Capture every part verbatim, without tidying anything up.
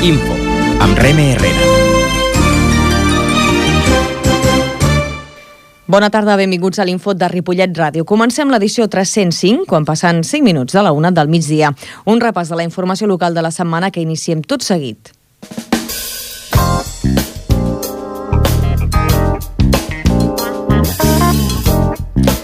Info, amb Reme Herrera. Bona tarda, benvinguts a l'Info de Ripollet Ràdio. Comencem l'edició tres-cents cinc, quan passen cinc minuts de la una del migdia. Un repàs de la informació local de la setmana que iniciem tot seguit.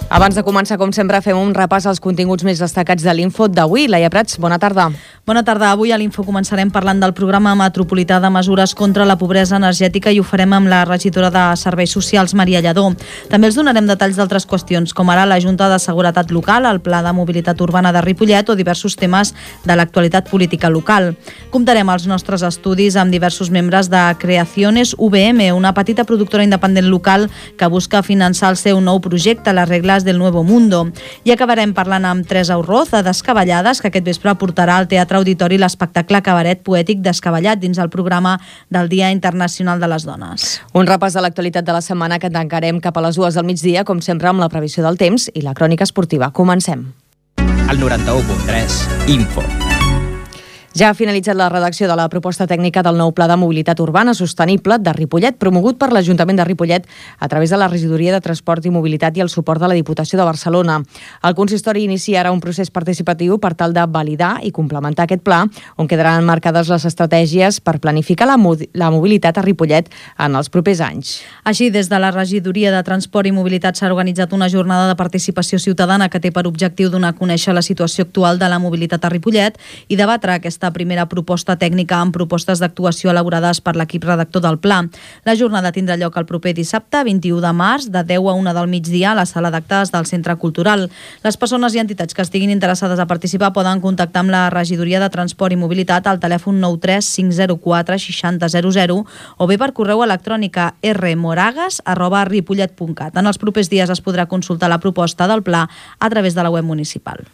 Abans de començar, com sempre, fem un repàs als continguts més destacats de l'Info d'avui. Laia Prats, bona tarda. Bona tarda. Avui a l'Info començarem parlant del programa metropolità de mesures contra la pobresa energètica i ho farem amb la regidora de Serveis Socials, Maria Lladó. També els donarem detalls d'altres qüestions, com ara la Junta de Seguretat Local, el Pla de Mobilitat Urbana de Ripollet o diversos temes de l'actualitat política local. Comptarem els nostres estudis amb diversos membres de Creaciones U V M, una petita productora independent local que busca finançar el seu nou projecte, les regles del Nuevo Mundo. I acabarem parlant amb Teresa Urroz, de Descabellades, que aquest vespre portarà al Teatre Auditori l'espectacle cabaret poètic Descabellat dins el programa del Dia Internacional de les Dones. Un repàs de l'actualitat de la setmana que tancarem cap a les dues del migdia, com sempre amb la previsió del temps i la crònica esportiva. Comencem. El noranta-u punt tres, Info. Ja ha finalitzat la redacció de la proposta tècnica del nou Pla de Mobilitat Urbana Sostenible de Ripollet, promogut per l'Ajuntament de Ripollet a través de la Regidoria de Transport i Mobilitat i el suport de la Diputació de Barcelona. El consistori inicia ara un procés participatiu per tal de validar i complementar aquest pla, on quedaran marcades les estratègies per planificar la, la mobilitat a Ripollet en els propers anys. Així, des de la Regidoria de Transport i Mobilitat s'ha organitzat una jornada de participació ciutadana que té per objectiu donar a conèixer la situació actual de la mobilitat a Ripollet i debatre aquesta primera proposta tècnica amb propostes d'actuació elaborades per l'equip redactor del pla. La jornada tindrà lloc el proper dissabte, vint-i-u de març, de deu a una del migdia a la sala d'actes del Centre Cultural. Les persones i entitats que estiguin interessades a participar poden contactar amb la Regidoria de Transport i Mobilitat al telèfon nou tres cinc zero quatre sis zero zero zero o bé per correu electrònic a rmoragas arroba ripollet punt cat. En els propers dies es podrà consultar la proposta del pla a través de la web municipal.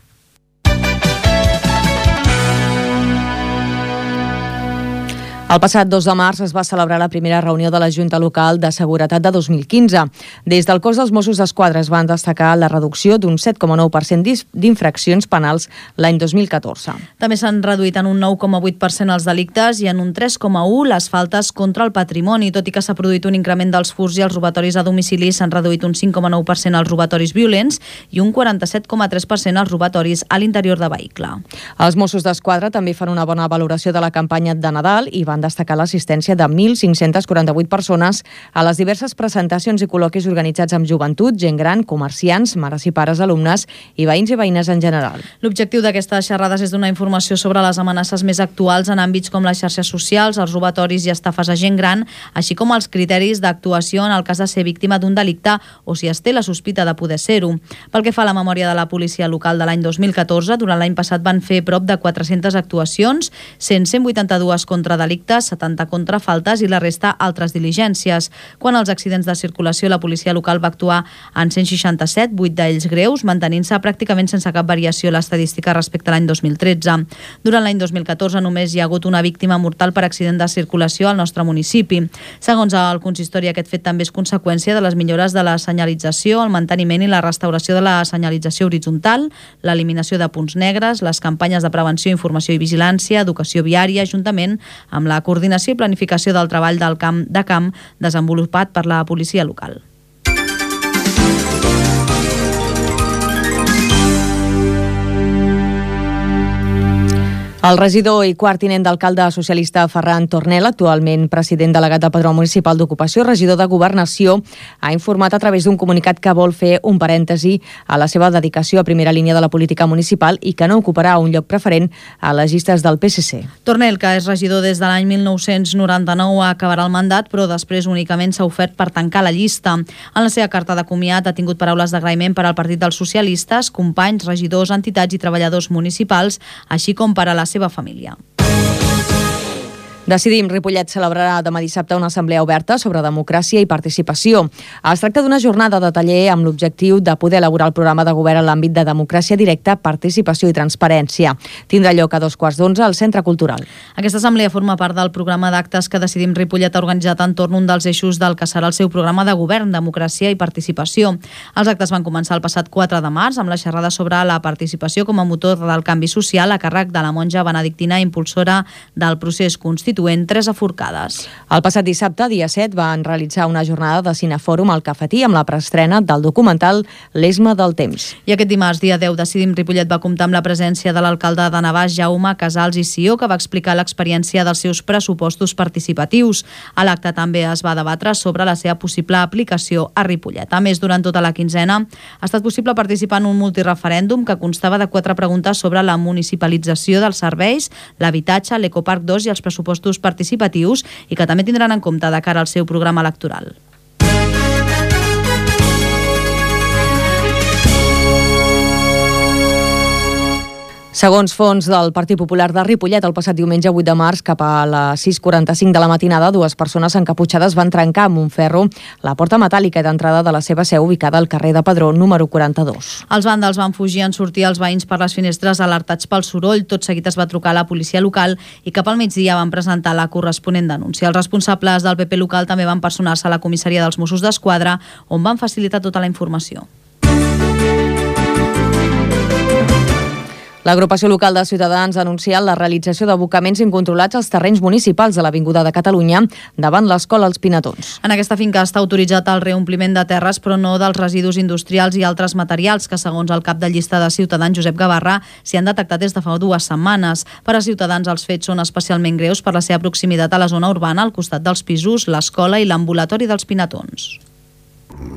El passat dos de març es va celebrar la primera reunió de la Junta Local de Seguretat de dos mil quinze. Des del cos dels Mossos d'Esquadra es van destacar la reducció d'un set coma nou per cent d'infraccions penals l'any dos mil catorze. També s'han reduït en un nou coma vuit per cent els delictes i en un tres coma u les faltes contra el patrimoni. Tot i que s'ha produït un increment dels furts i els robatoris a domicili, s'han reduït un cinc coma nou per cent els robatoris violents i un quaranta-set coma tres per cent els robatoris a l'interior de vehicle. Els Mossos d'Esquadra també fan una bona valoració de la campanya de Nadal i van van destacar l'assistència de mil cinc-cents quaranta-vuit persones a les diverses presentacions i col·loquis organitzats amb joventut, gent gran, comerciants, mares i pares, alumnes i veïns i veïnes en general. L'objectiu d'aquestes xerrades és donar informació sobre les amenaces més actuals en àmbits com les xarxes socials, els robatoris i estafes a gent gran, així com els criteris d'actuació en el cas de ser víctima d'un delicte o si es té la sospita de poder ser-ho. Pel que fa a la memòria de la policia local de l'any dos mil catorze, durant l'any passat van fer prop de quatre-centes actuacions, cent cent vuitanta-dues contra delictes, setanta contra faltes i la resta altres diligències. Quant als accidents de circulació, la policia local va actuar en cent seixanta-set, vuit d'ells greus, mantenint-se pràcticament sense cap variació l'estadística respecte a l'any dos mil tretze. Durant l'any dos mil catorze només hi ha hagut una víctima mortal per accident de circulació al nostre municipi. Segons el consistori, aquest fet també és conseqüència de les millores de la senyalització, el manteniment i la restauració de la senyalització horitzontal, l'eliminació de punts negres, les campanyes de prevenció, informació i vigilància, educació viària, juntament amb la la coordinació i planificació del treball del camp de camp desenvolupat per la policia local. El regidor i quart tinent d'alcalde socialista Ferran Tornel, actualment president delegat del Padró Municipal d'Ocupació i regidor de Governació, ha informat a través d'un comunicat que vol fer un parèntesi a la seva dedicació a primera línia de la política municipal i que no ocuparà un lloc preferent a les llistes del P S C. Tornel, que és regidor des de l'any mil nou-cents noranta-nou, acabarà el mandat, però després únicament s'ha ofert per tancar la llista. En la seva carta de comiat ha tingut paraules d'agraïment per al Partit dels Socialistes, companys, regidors, entitats i treballadors municipals, així com per a la seva família. Decidim Ripollet celebrarà demà dissabte una assemblea oberta sobre democràcia i participació. Es tracta d'una jornada de taller amb l'objectiu de poder elaborar el programa de govern en l'àmbit de democràcia directa, participació i transparència. Tindrà lloc a dos quarts d'onze al Centre Cultural. Aquesta assemblea forma part del programa d'actes que Decidim Ripollet ha organitzat entorn un dels eixos del que serà el seu programa de govern, democràcia i participació. Els actes van començar el passat quatre de març amb la xerrada sobre la participació com a motor del canvi social a càrrec de la monja benedictina impulsora del procés constitucional constituent Tres aforcades. El passat dissabte, dia set, van realitzar una jornada de cinefòrum al Cafetí amb la preestrena del documental L'Esma del temps. I aquest dimarts, dia deu, Decidim Ripollet va comptar amb la presència de l'alcalde de Navàs, Jaume Casals i Sió, que va explicar l'experiència dels seus pressupostos participatius. A l'acte també es va debatre sobre la seva possible aplicació a Ripollet. A més, durant tota la quinzena ha estat possible participar en un multireferèndum que constava de quatre preguntes sobre la municipalització dels serveis, l'habitatge, l'Ecoparc dos i els pressupostos participatius i que també tindran en compte de cara al seu programa electoral. Segons fons del Partit Popular de Ripollet, el passat diumenge vuit de març, cap a les sis quaranta-cinc de la matinada, dues persones encaputxades van trencar amb un ferro la porta metàl·lica d'entrada de la seva seu ubicada al carrer de Padró, número quaranta-dos. Els vàndals van fugir en sortir els veïns per les finestres alertats pel soroll. Tot seguit es va trucar a la policia local i cap al migdia van presentar la corresponent denúncia. Els responsables del P P local també van personar-se a la comissaria dels Mossos d'Esquadra, on van facilitar tota la informació. L'agrupació local de Ciutadans ha anunciat la realització d'abocaments incontrolats als terrenys municipals de l'Avinguda de Catalunya davant l'escola Els Pinatons. En aquesta finca està autoritzat el reompliment de terres, però no dels residus industrials i altres materials que, segons el cap de llista de Ciutadans, Josep Gavarra, s'hi han detectat des de fa dues setmanes. Per a Ciutadans, els fets són especialment greus per la seva proximitat a la zona urbana, al costat dels pisos, l'escola i l'ambulatori dels Pinatons.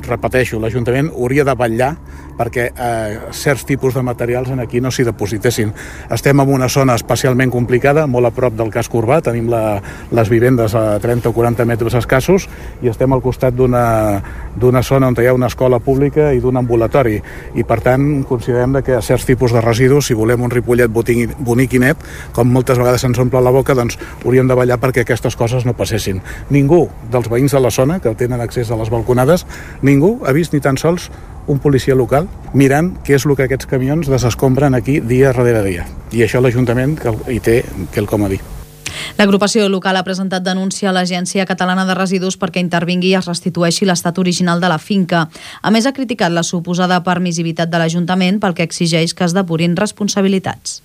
Repeteixo, l'Ajuntament hauria de vetllar perquè eh, certs tipus de materials en aquí no s'hi depositessin. Estem en una zona especialment complicada, molt a prop del casc urbà, tenim la, les vivendes a trenta o quaranta metres escassos i estem al costat d'una d'una zona on hi ha una escola pública i d'un ambulatori i per tant considerem que a certs tipus de residus, si volem un Ripollet bonic i net, com moltes vegades se'ns omple la boca, doncs hauríem de vetllar perquè aquestes coses no passessin. Ningú dels veïns de la zona que tenen accés a les balconades, ningú ha vist ni tan sols un policia local mirant què és el que aquests camions desescombren aquí dia darrere dia. I això l'Ajuntament hi té quelcom a dir. L'agrupació local ha presentat denúncia a l'Agència Catalana de Residus perquè intervingui i es restitueixi l'estat original de la finca. A més, ha criticat la suposada permissivitat de l'Ajuntament pel que exigeix que es depurin responsabilitats.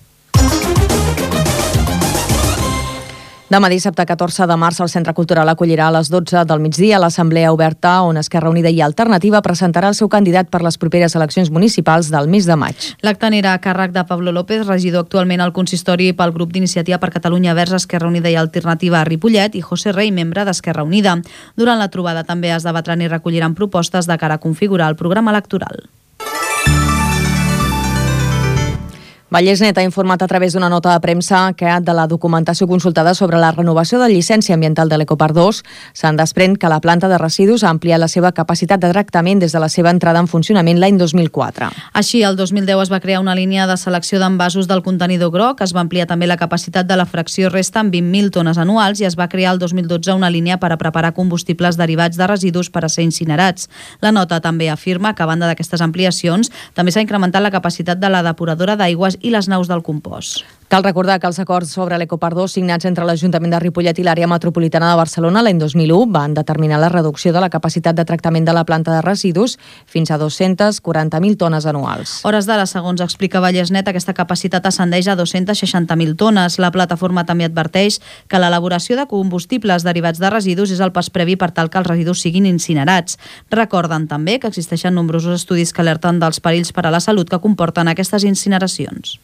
Demà dissabte catorze de març el Centre Cultural acollirà a les dotze del migdia l'Assemblea Oberta on Esquerra Unida i Alternativa presentarà el seu candidat per les properes eleccions municipals del mes de maig. L'acte anirà a càrrec de Pablo López, regidor actualment al consistori pel grup d'Iniciativa per Catalunya Verds Esquerra Unida i Alternativa a Ripollet, i José Rey, membre d'Esquerra Unida. Durant la trobada també es debatran i recolliran propostes de cara a configurar el programa electoral. Vallès Net ha informat a través d'una nota de premsa que de la documentació consultada sobre la renovació de llicència ambiental de l'Ecoparc dos se'n desprèn que la planta de residus ha ampliat la seva capacitat de tractament des de la seva entrada en funcionament l'any dos mil quatre. Així, el dos mil deu es va crear una línia de selecció d'envasos del contenidor groc, es va ampliar també la capacitat de la fracció resta en vint mil tones anuals i es va crear el dos mil dotze una línia per a preparar combustibles derivats de residus per a ser incinerats. La nota també afirma que, a banda d'aquestes ampliacions, també s'ha incrementat la capacitat de la depuradora d'aigües i les naus del compost. Cal recordar que els acords sobre l'Ecoparc dos signats entre l'Ajuntament de Ripollet i l'àrea metropolitana de Barcelona l'any dos mil u van determinar la reducció de la capacitat de tractament de la planta de residus fins a dos-centes quaranta mil tones anuals. Hores d'ara, segons explica Vallès Net, aquesta capacitat ascendeix a dos-centes seixanta mil tones. La plataforma també adverteix que l'elaboració de combustibles derivats de residus és el pas previ per tal que els residus siguin incinerats. Recorden també que existeixen nombrosos estudis que alerten dels perills per a la salut que comporten aquestes incineracions.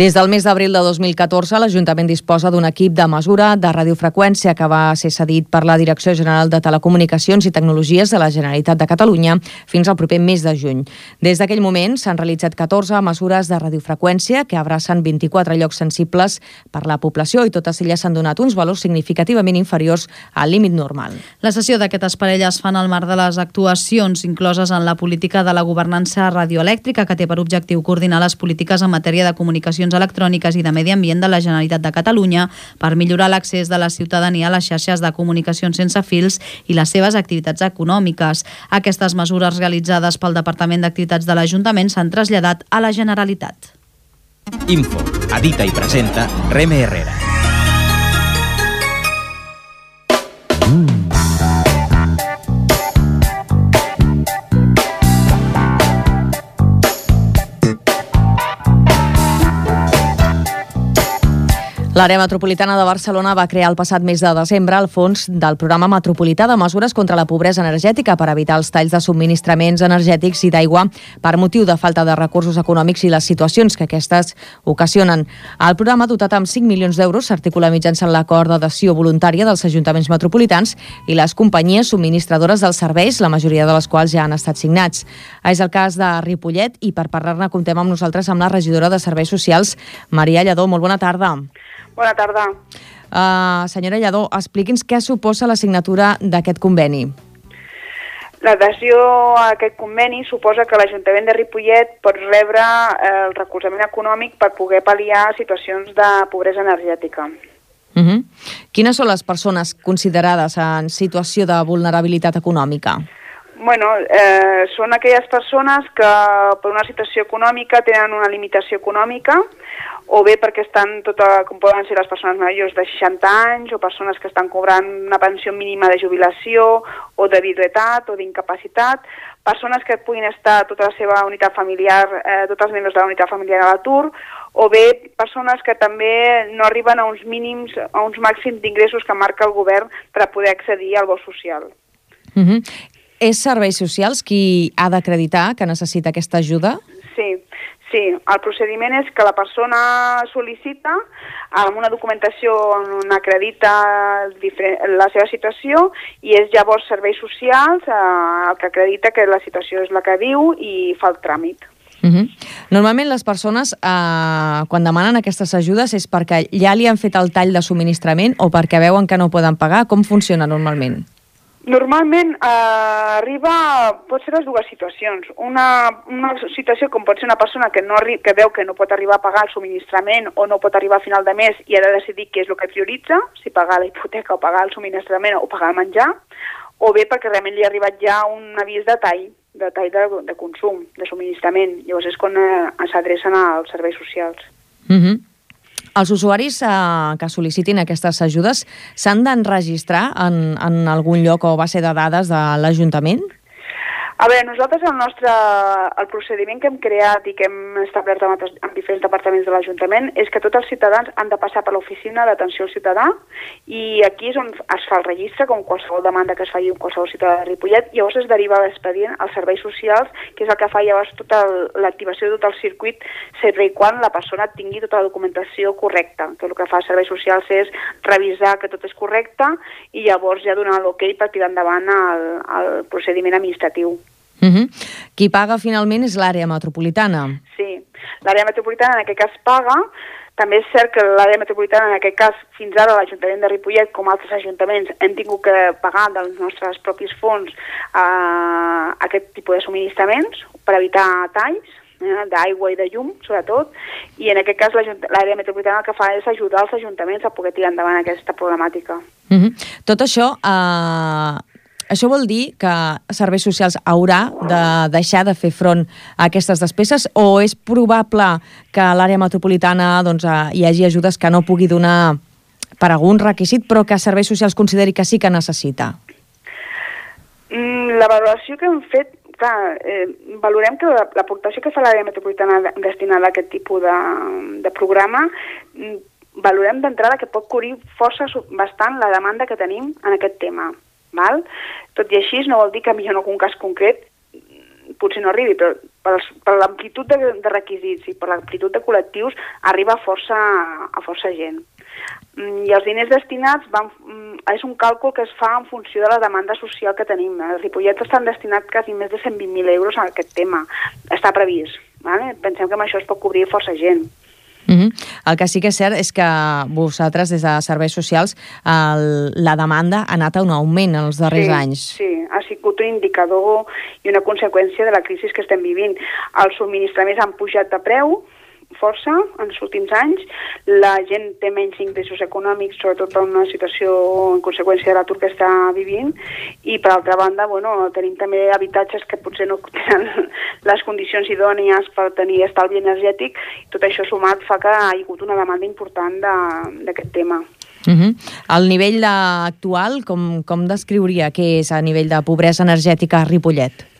Des del mes d'abril de dos mil catorze, l'Ajuntament disposa d'un equip de mesura de radiofreqüència que va ser cedit per la Direcció General de Telecomunicacions i Tecnologies de la Generalitat de Catalunya fins al proper mes de juny. Des d'aquell moment s'han realitzat catorze mesures de radiofreqüència que abracen vint-i-quatre llocs sensibles per la població i totes elles s'han donat uns valors significativament inferiors al límit normal. La sessió d'aquestes parelles es fan al marc de les actuacions incloses en la política de la governança radioelèctrica que té per objectiu coordinar les polítiques en matèria de comunicacions electròniques i de medi ambient de la Generalitat de Catalunya per millorar l'accés de la ciutadania a les xarxes de comunicacions sense fils i les seves activitats econòmiques. Aquestes mesures realitzades pel Departament d'Activitats de l'Ajuntament s'han traslladat a la Generalitat. Info, edita i presenta Reme Herrera. L'àrea metropolitana de Barcelona va crear el passat mes de desembre el fons del programa metropolità de mesures contra la pobresa energètica per evitar els talls de subministraments energètics i d'aigua per motiu de falta de recursos econòmics i les situacions que aquestes ocasionen. El programa, dotat amb cinc milions d'euros, s'articula mitjançant l'acord d'adhesió voluntària dels ajuntaments metropolitans i les companyies subministradores dels serveis, la majoria de les quals ja han estat signats. És el cas de Ripollet i per parlar-ne comptem amb nosaltres amb la regidora de Serveis Socials, Maria Lladó. Molt bona tarda. Bona tarda. Uh, senyora Lladó, expliqui'ns què suposa la signatura d'aquest conveni. L'adhesió a aquest conveni suposa que l'Ajuntament de Ripollet pot rebre el recolzament econòmic per poder pal·liar situacions de pobresa energètica. Uh -huh. Quines són les persones considerades en situació de vulnerabilitat econòmica? Bueno, eh, són aquelles persones que per una situació econòmica tenen una limitació econòmica, o bé perquè estan, tota, com poden ser les persones majors de seixanta anys, o persones que estan cobrant una pensió mínima de jubilació, o de viduïtat, o d'incapacitat, persones que puguin estar tota la seva unitat familiar, eh, tots els membres de la unitat familiar a l'atur, o bé persones que també no arriben a uns mínims, a uns màxims d'ingressos que marca el govern per a poder accedir al bo social. Uh -huh. És Serveis Socials qui ha d'acreditar que necessita aquesta ajuda? Sí, sí. El procediment és que la persona sol·licita amb una documentació on acredita la seva situació i és llavors Serveis Socials el que acredita que la situació és la que diu i fa el tràmit. Uh -huh. Normalment les persones eh, quan demanen aquestes ajudes és perquè ja li han fet el tall de subministrament o perquè veuen que no poden pagar. Com funciona normalment? Normalment eh, arriba, pot ser les dues situacions. Una, una situació com pot ser una persona que, no arri que veu que no pot arribar a pagar el subministrament o no pot arribar a final de mes i ha de decidir què és el que prioritza, si pagar la hipoteca o pagar el subministrament o pagar el menjar, o bé perquè realment li ha arribat ja un avís de tall, de tall de, de consum, de subministrament. Llavors és quan eh, s'adrecen als serveis socials. Uh -huh. Els usuaris eh, que sol·licitin aquestes ajudes s'han d'enregistrar en, en algun lloc o base de dades de l'Ajuntament? A veure, nosaltres el nostre el procediment que hem creat i que hem establert amb, amb diferents departaments de l'Ajuntament és que tots els ciutadans han de passar per l'oficina d'atenció al ciutadà i aquí és on es fa el registre, com qualsevol demanda que es faci amb qualsevol ciutadà de Ripollet, i llavors es deriva l'expedient als serveis socials, que és el que fa llavors tota l'activació de tot el circuit, sempre i quan la persona tingui tota la documentació correcta, que el que fa els serveis socials és revisar que tot és correcte i llavors ja donar l'ok per tirar endavant el, el procediment administratiu. Uh -huh. Qui paga finalment és l'àrea metropolitana. Sí, l'àrea metropolitana en aquest cas paga. També és cert que l'àrea metropolitana en aquest cas, fins ara l'Ajuntament de Ripollet, com altres ajuntaments, hem tingut que pagar dels nostres propis fons eh, aquest tipus de subministraments per evitar talls eh, d'aigua i de llum, sobretot, i en aquest cas l'àrea metropolitana el que fa és ajudar els ajuntaments a poder tirar endavant aquesta problemàtica. Uh -huh. Tot això... Eh... Això vol dir que Serveis Socials haurà de deixar de fer front a aquestes despeses o és probable que a l'àrea metropolitana doncs, hi hagi ajudes que no pugui donar per algun requisit però que Serveis Socials consideri que sí que necessita? Mm, la valoració que hem fet, clar, eh, valorem que l'aportació que fa l'àrea metropolitana destinada a aquest tipus de, de programa mm, valorem d'entrada que pot cobrir força bastant la demanda que tenim en aquest tema. Val? Tot i així no vol dir que millor en algun cas concret potser no arribi, però per, per l'amplitud de, de requisits i per l'amplitud de col·lectius arriba força, a força gent. I els diners destinats van, és un càlcul que es fa en funció de la demanda social que tenim. A Ripollet estan destinats quasi més de cent vint mil euros a aquest tema. Està previst. Vale? Pensem que amb això es pot cobrir força gent. Uh -huh. El que sí que és cert és que vosaltres, des de Serveis Socials, el, la demanda ha anat a un augment en els darrers sí, anys. Sí, ha sigut un indicador i una conseqüència de la crisi que estem vivint. Els subministraments han pujat de preu força en els últims anys, la gent té menys ingressos econòmics, sobretot per una situació en conseqüència de l'atur que està vivint, i per altra banda, bueno, tenim també habitatges que potser no tenen les condicions idònies per tenir estalvi energètic, i tot això sumat fa que hi ha hagut una demanda important d'aquest tema. Uh -huh. El nivell actual, com, com descriuria què és a nivell de pobresa energètica a Ripollet?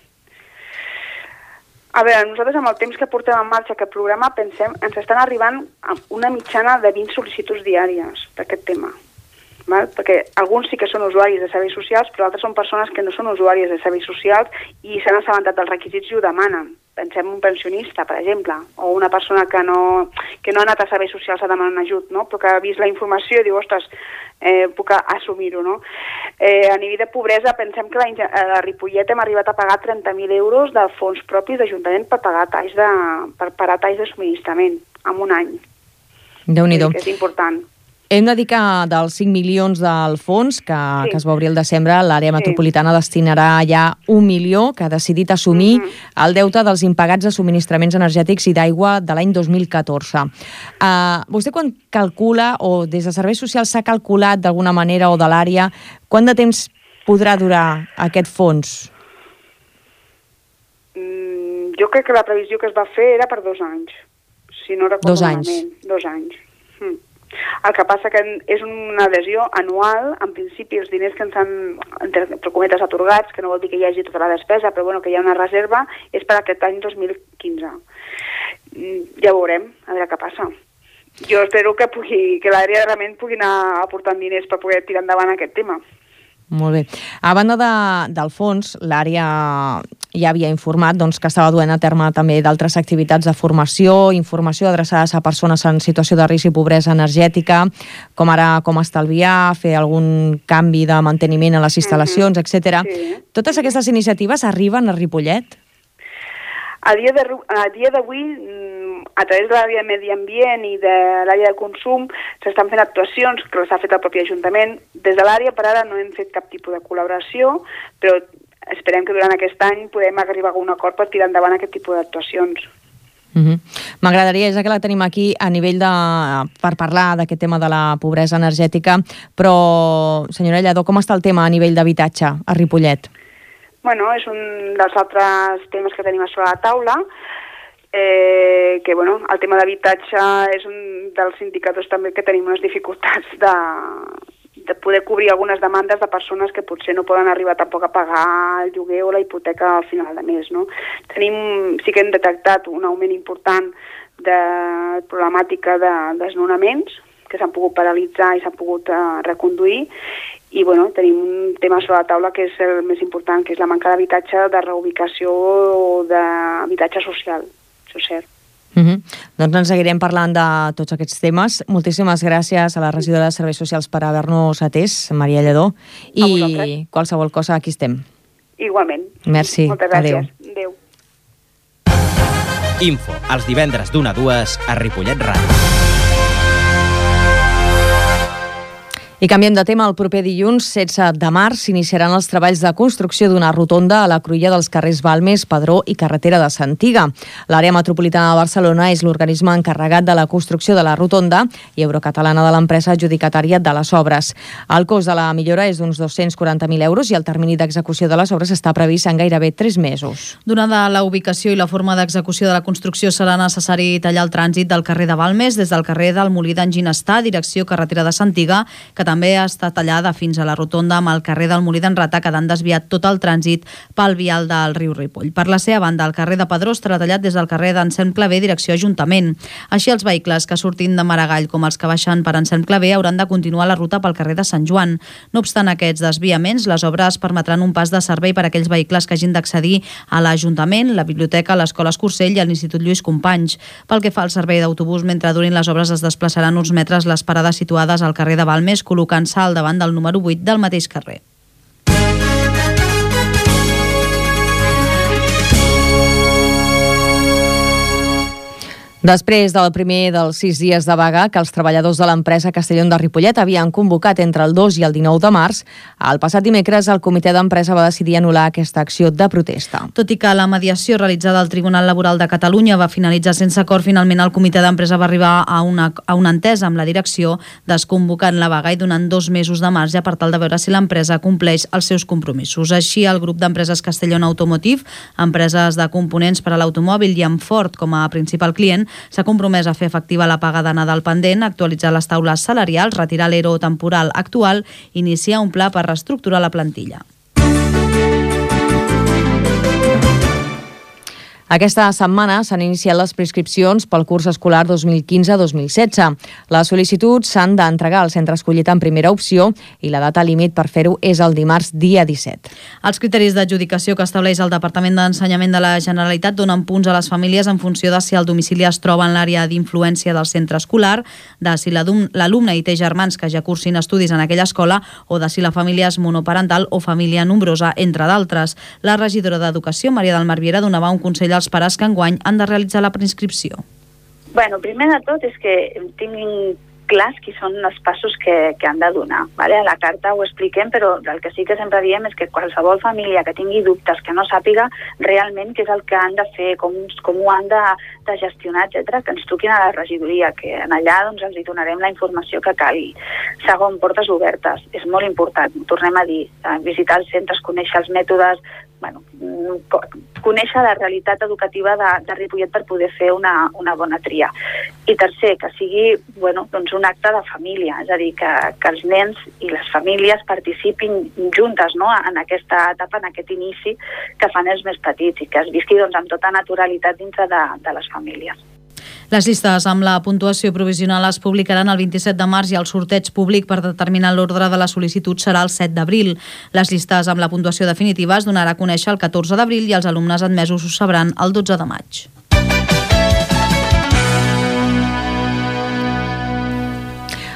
A veure, nosaltres amb el temps que portem en marxa aquest programa pensem, ens estan arribant a una mitjana de vint sol·licituds diàries d'aquest tema. Val? Perquè alguns sí que són usuaris de serveis socials, però altres són persones que no són usuàries de serveis socials i s'han assabentat dels requisits i ho demanen. Pensem un pensionista, per exemple, o una persona que no, que no ha anat a serveis socials a demanar un ajut, no? Però que ha vist la informació i diu, ostres, eh, puc assumir-ho, no? Eh, a nivell de pobresa, pensem que la, a Ripollet hem arribat a pagar trenta mil euros de fons propis d'Ajuntament per pagar talls de, per parar talls de subministrament en un any. Déu-n'hi-do. Que és important. Hem de dir que dels cinc milions del fons que, sí. que es va obrir el desembre, l'àrea sí. metropolitana destinarà ja un milió que ha decidit assumir uh -huh. el deute dels impagats de subministraments energètics i d'aigua de l'any dos mil catorze. Uh, vostè quan calcula, o des de Serveis Socials s'ha calculat d'alguna manera o de l'àrea, quant de temps podrà durar aquest fons? Mm, jo crec que la previsió que es va fer era per dos anys, si no recordo dos anys. malament. Dos anys. Mm. El que passa que és una adhesió anual, en principi els diners que ens han, entre cometes, atorgats, que no vol dir que hi hagi tota la despesa, però bueno, que hi ha una reserva, és per aquest any dos mil quinze. Ja veurem, a veure què passa. Jo espero que, pugui, que l'àrea realment pugui anar aportant diners per poder tirar endavant aquest tema. Molt bé. A banda de, del fons, l'àrea ja havia informat doncs, que estava duent a terme també d'altres activitats de formació, informació adreçades a persones en situació de risc i pobresa energètica, com ara com estalviar, fer algun canvi de manteniment a les instal·lacions, uh-huh. etcètera. Sí. Totes aquestes iniciatives arriben a Ripollet? A dia de, a dia d'avui, a través de l'àrea de medi ambient i de l'àrea de consum, s'estan fent actuacions que les ha fet el propi Ajuntament. Des de l'àrea, per ara, no hem fet cap tipus de col·laboració, però esperem que durant aquest any podem arribar a un acord per tirar endavant aquest tipus d'actuacions. M'agradaria, uh-huh. ja que la tenim aquí, a nivell de... per parlar d'aquest tema de la pobresa energètica, però, senyora Lledó, com està el tema a nivell d'habitatge a Ripollet? Bueno, és un dels altres temes que tenim a sobre la taula, eh, que, bueno, el tema d'habitatge és un dels indicadors també que tenim unes dificultats de... de poder cobrir algunes demandes de persones que potser no poden arribar tampoc a pagar el lloguer o la hipoteca al final de mes, no? Tenim, sí que hem detectat un augment important de problemàtica de desnonaments que s'han pogut paralitzar i s'han pogut uh, reconduir i, bueno, tenim un tema sobre la taula que és el més important, que és la manca d'habitatge, de reubicació o d'habitatge social, això és cert. Uh-huh. Doncs ens seguirem parlant de tots aquests temes. Moltíssimes gràcies a la regidora de Serveis Socials per haver-nos atès, Maria Lledó, i qualsevol cosa aquí estem. Igualment. Merci. Moltes gràcies. Adéu. Adéu. Info, els divendres d'una a dues a Ripollet Ràdio. I canviem de tema. El proper dilluns, setze de març, s'iniciaran els treballs de construcció d'una rotonda a la cruïlla dels carrers Balmes, Padró i Carretera de Santiga. L'àrea metropolitana de Barcelona és l'organisme encarregat de la construcció de la rotonda i Eurocatalana de l'empresa adjudicatària de les obres. El cost de la millora és d'uns dos-cents quaranta mil euros i el termini d'execució de les obres està previst en gairebé tres mesos. Donada la ubicació i la forma d'execució de la construcció, serà necessari tallar el trànsit del carrer de Balmes des del carrer del Molí d'en Ginestar, direcció Carretera de Santiga, que també està tallada fins a la rotonda amb el carrer del Molí d'en Rata, quedant desviat tot el trànsit pel vial del riu Ripoll. Per la seva banda, el carrer de Padró estarà tallat des del carrer d'Anselm Clavé, direcció Ajuntament. Així, els vehicles que surtin de Maragall com els que baixen per Anselm Clavé hauran de continuar la ruta pel carrer de Sant Joan. No obstant aquests desviaments, les obres permetran un pas de servei per a aquells vehicles que hagin d'accedir a l'Ajuntament, la Biblioteca, l'Escola Escursell i a l'Institut Lluís Companys. Pel que fa al servei d'autobús, mentre durin les obres es desplaçaran uns metres les parades situades al carrer de Balmes, col·locant-se al davant del número vuit del mateix carrer. Després del primer dels sis dies de vaga que els treballadors de l'empresa Castellón de Ripollet havien convocat entre el dos i el dinou de març, el passat dimecres el comitè d'empresa va decidir anul·lar aquesta acció de protesta. Tot i que la mediació realitzada al Tribunal Laboral de Catalunya va finalitzar sense acord, finalment el comitè d'empresa va arribar a una, a una entesa amb la direcció, desconvocant la vaga i donant dos mesos de marge per tal de veure si l'empresa compleix els seus compromisos. Així, el grup d'empreses Castellón Automotive, empreses de components per a l'automòbil i amb Ford com a principal client, s'ha compromès a fer efectiva la paga de Nadal pendent, actualitzar les taules salarials, retirar l'ero temporal actual i iniciar un pla per reestructurar la plantilla. Aquesta setmana s'han iniciat les prescripcions pel curs escolar dos mil quinze dos mil setze. Les sol·licituds s'han d'entregar al centre escollit en primera opció i la data límit per fer-ho és el dimarts dia disset. Els criteris d'adjudicació que estableix el Departament d'Ensenyament de la Generalitat donen punts a les famílies en funció de si el domicili es troba en l'àrea d'influència del centre escolar, de si l'alumne i té germans que ja cursin estudis en aquella escola o de si la família és monoparental o família nombrosa, entre d'altres. La regidora d'Educació, Maria del Mar Viera, donava un consell als pares que enguany han de realitzar la preinscripció. Bueno, primer de tot és que tinguin clars qui són els passos que, que han de donar. Vale? A la carta ho expliquem, però el que sí que sempre diem és que qualsevol família que tingui dubtes, que no sàpiga realment què és el que han de fer, com, com ho han de, de gestionar, etcètera, que ens truquin a la regidoria, que en allà doncs, ens hi donarem la informació que calgui. Segon, portes obertes. És molt important, tornem a dir, visitar els centres, conèixer els mètodes, bueno, conèixer la realitat educativa de, de Ripollet per poder fer una, una bona tria. I tercer, que sigui bueno, doncs un acte de família, és a dir, que, que els nens i les famílies participin juntes, no?, en aquesta etapa, en aquest inici que fan els més petits i que es visqui doncs, amb tota naturalitat dintre de, de les famílies. Les llistes amb la puntuació provisional es publicaran el vint-i-set de març i el sorteig públic per determinar l'ordre de la sol·licitud serà el set d'abril. Les llistes amb la puntuació definitiva es donarà a conèixer el catorze d'abril i els alumnes admesos ho sabran el dotze de maig.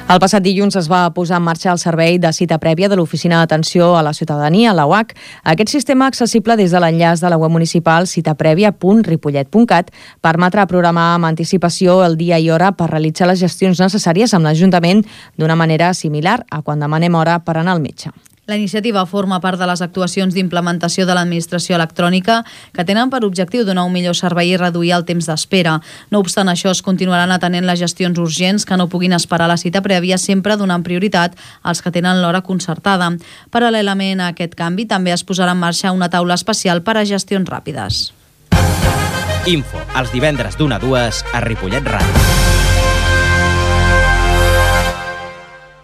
El passat dilluns es va posar en marxa el servei de cita prèvia de l'Oficina d'Atenció a la Ciutadania, la U A C. Aquest sistema, accessible des de l'enllaç de la web municipal citaprèvia punt ripollet punt cat, permetrà programar amb anticipació el dia i hora per realitzar les gestions necessàries amb l'Ajuntament d'una manera similar a quan demanem hora per anar al metge. La iniciativa forma part de les actuacions d'implementació de l'administració electrònica que tenen per objectiu donar un millor servei i reduir el temps d'espera. No obstant això, es continuaran atenent les gestions urgents que no puguin esperar la cita prèvia, sempre donant prioritat als que tenen l'hora concertada. Paral·lelament a aquest canvi, també es posarà en marxa una taula especial per a gestions ràpides. Info, els divendres d'una a dues a Ripollet Ràdio.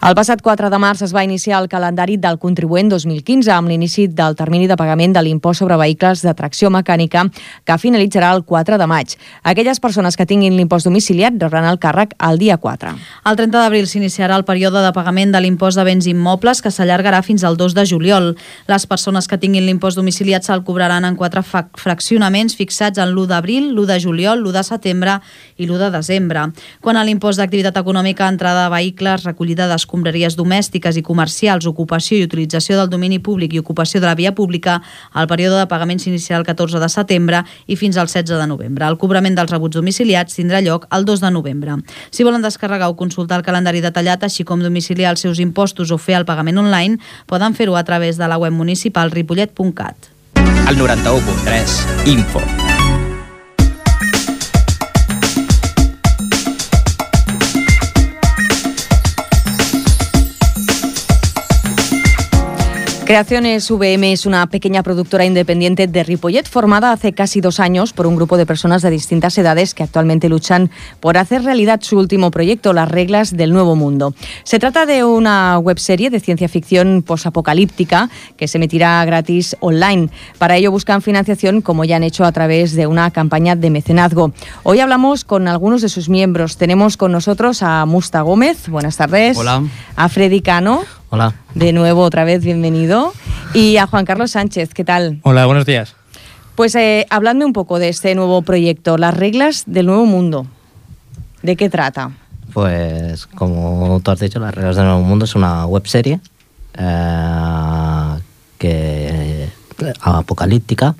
El passat quatre de març es va iniciar el calendari del contribuent dos mil quinze amb l'inici del termini de pagament de l'impost sobre vehicles de tracció mecànica que finalitzarà el quatre de maig. Aquelles persones que tinguin l'impost domiciliat rebran el càrrec el dia quatre. El trenta d'abril s'iniciarà el període de pagament de l'impost de béns immobles que s'allargarà fins al dos de juliol. Les persones que tinguin l'impost domiciliat se'l cobraran en quatre fraccionaments fixats en l'u d'abril, l'u de juliol, l'u de setembre i l'u de desembre. Quant a l'impost d'activitat econòmica, entrada de vehicles, recollida d'escombreries, escombraries domèstiques i comercials, ocupació i utilització del domini públic i ocupació de la via pública, el període de pagament s'iniciarà el catorze de setembre i fins al setze de novembre. El cobrament dels rebuts domiciliats tindrà lloc el dos de novembre. Si volen descarregar o consultar el calendari detallat, així com domiciliar els seus impostos o fer el pagament online, poden fer-ho a través de la web municipal ripollet punt cat. El noranta-u punt tres, Info. Creaciones V M es una pequeña productora independiente de Ripollet formada hace casi dos años por un grupo de personas de distintas edades que actualmente luchan por hacer realidad su último proyecto, Las reglas del nuevo mundo. Se trata de una webserie de ciencia ficción posapocalíptica que se emitirá gratis online. Para ello buscan financiación, como ya han hecho a través de una campaña de mecenazgo. Hoy hablamos con algunos de sus miembros. Tenemos con nosotros a Musta Gómez. Buenas tardes. Hola. A Freddy Cano. Hola. De nuevo, otra vez, bienvenido. Y a Juan Carlos Sánchez, ¿qué tal? Hola, buenos días. Pues eh, habladme un poco de este nuevo proyecto, Las reglas del nuevo mundo. ¿De qué trata? Pues, como tú has dicho, Las reglas del nuevo mundo es una webserie eh, que apocalíptica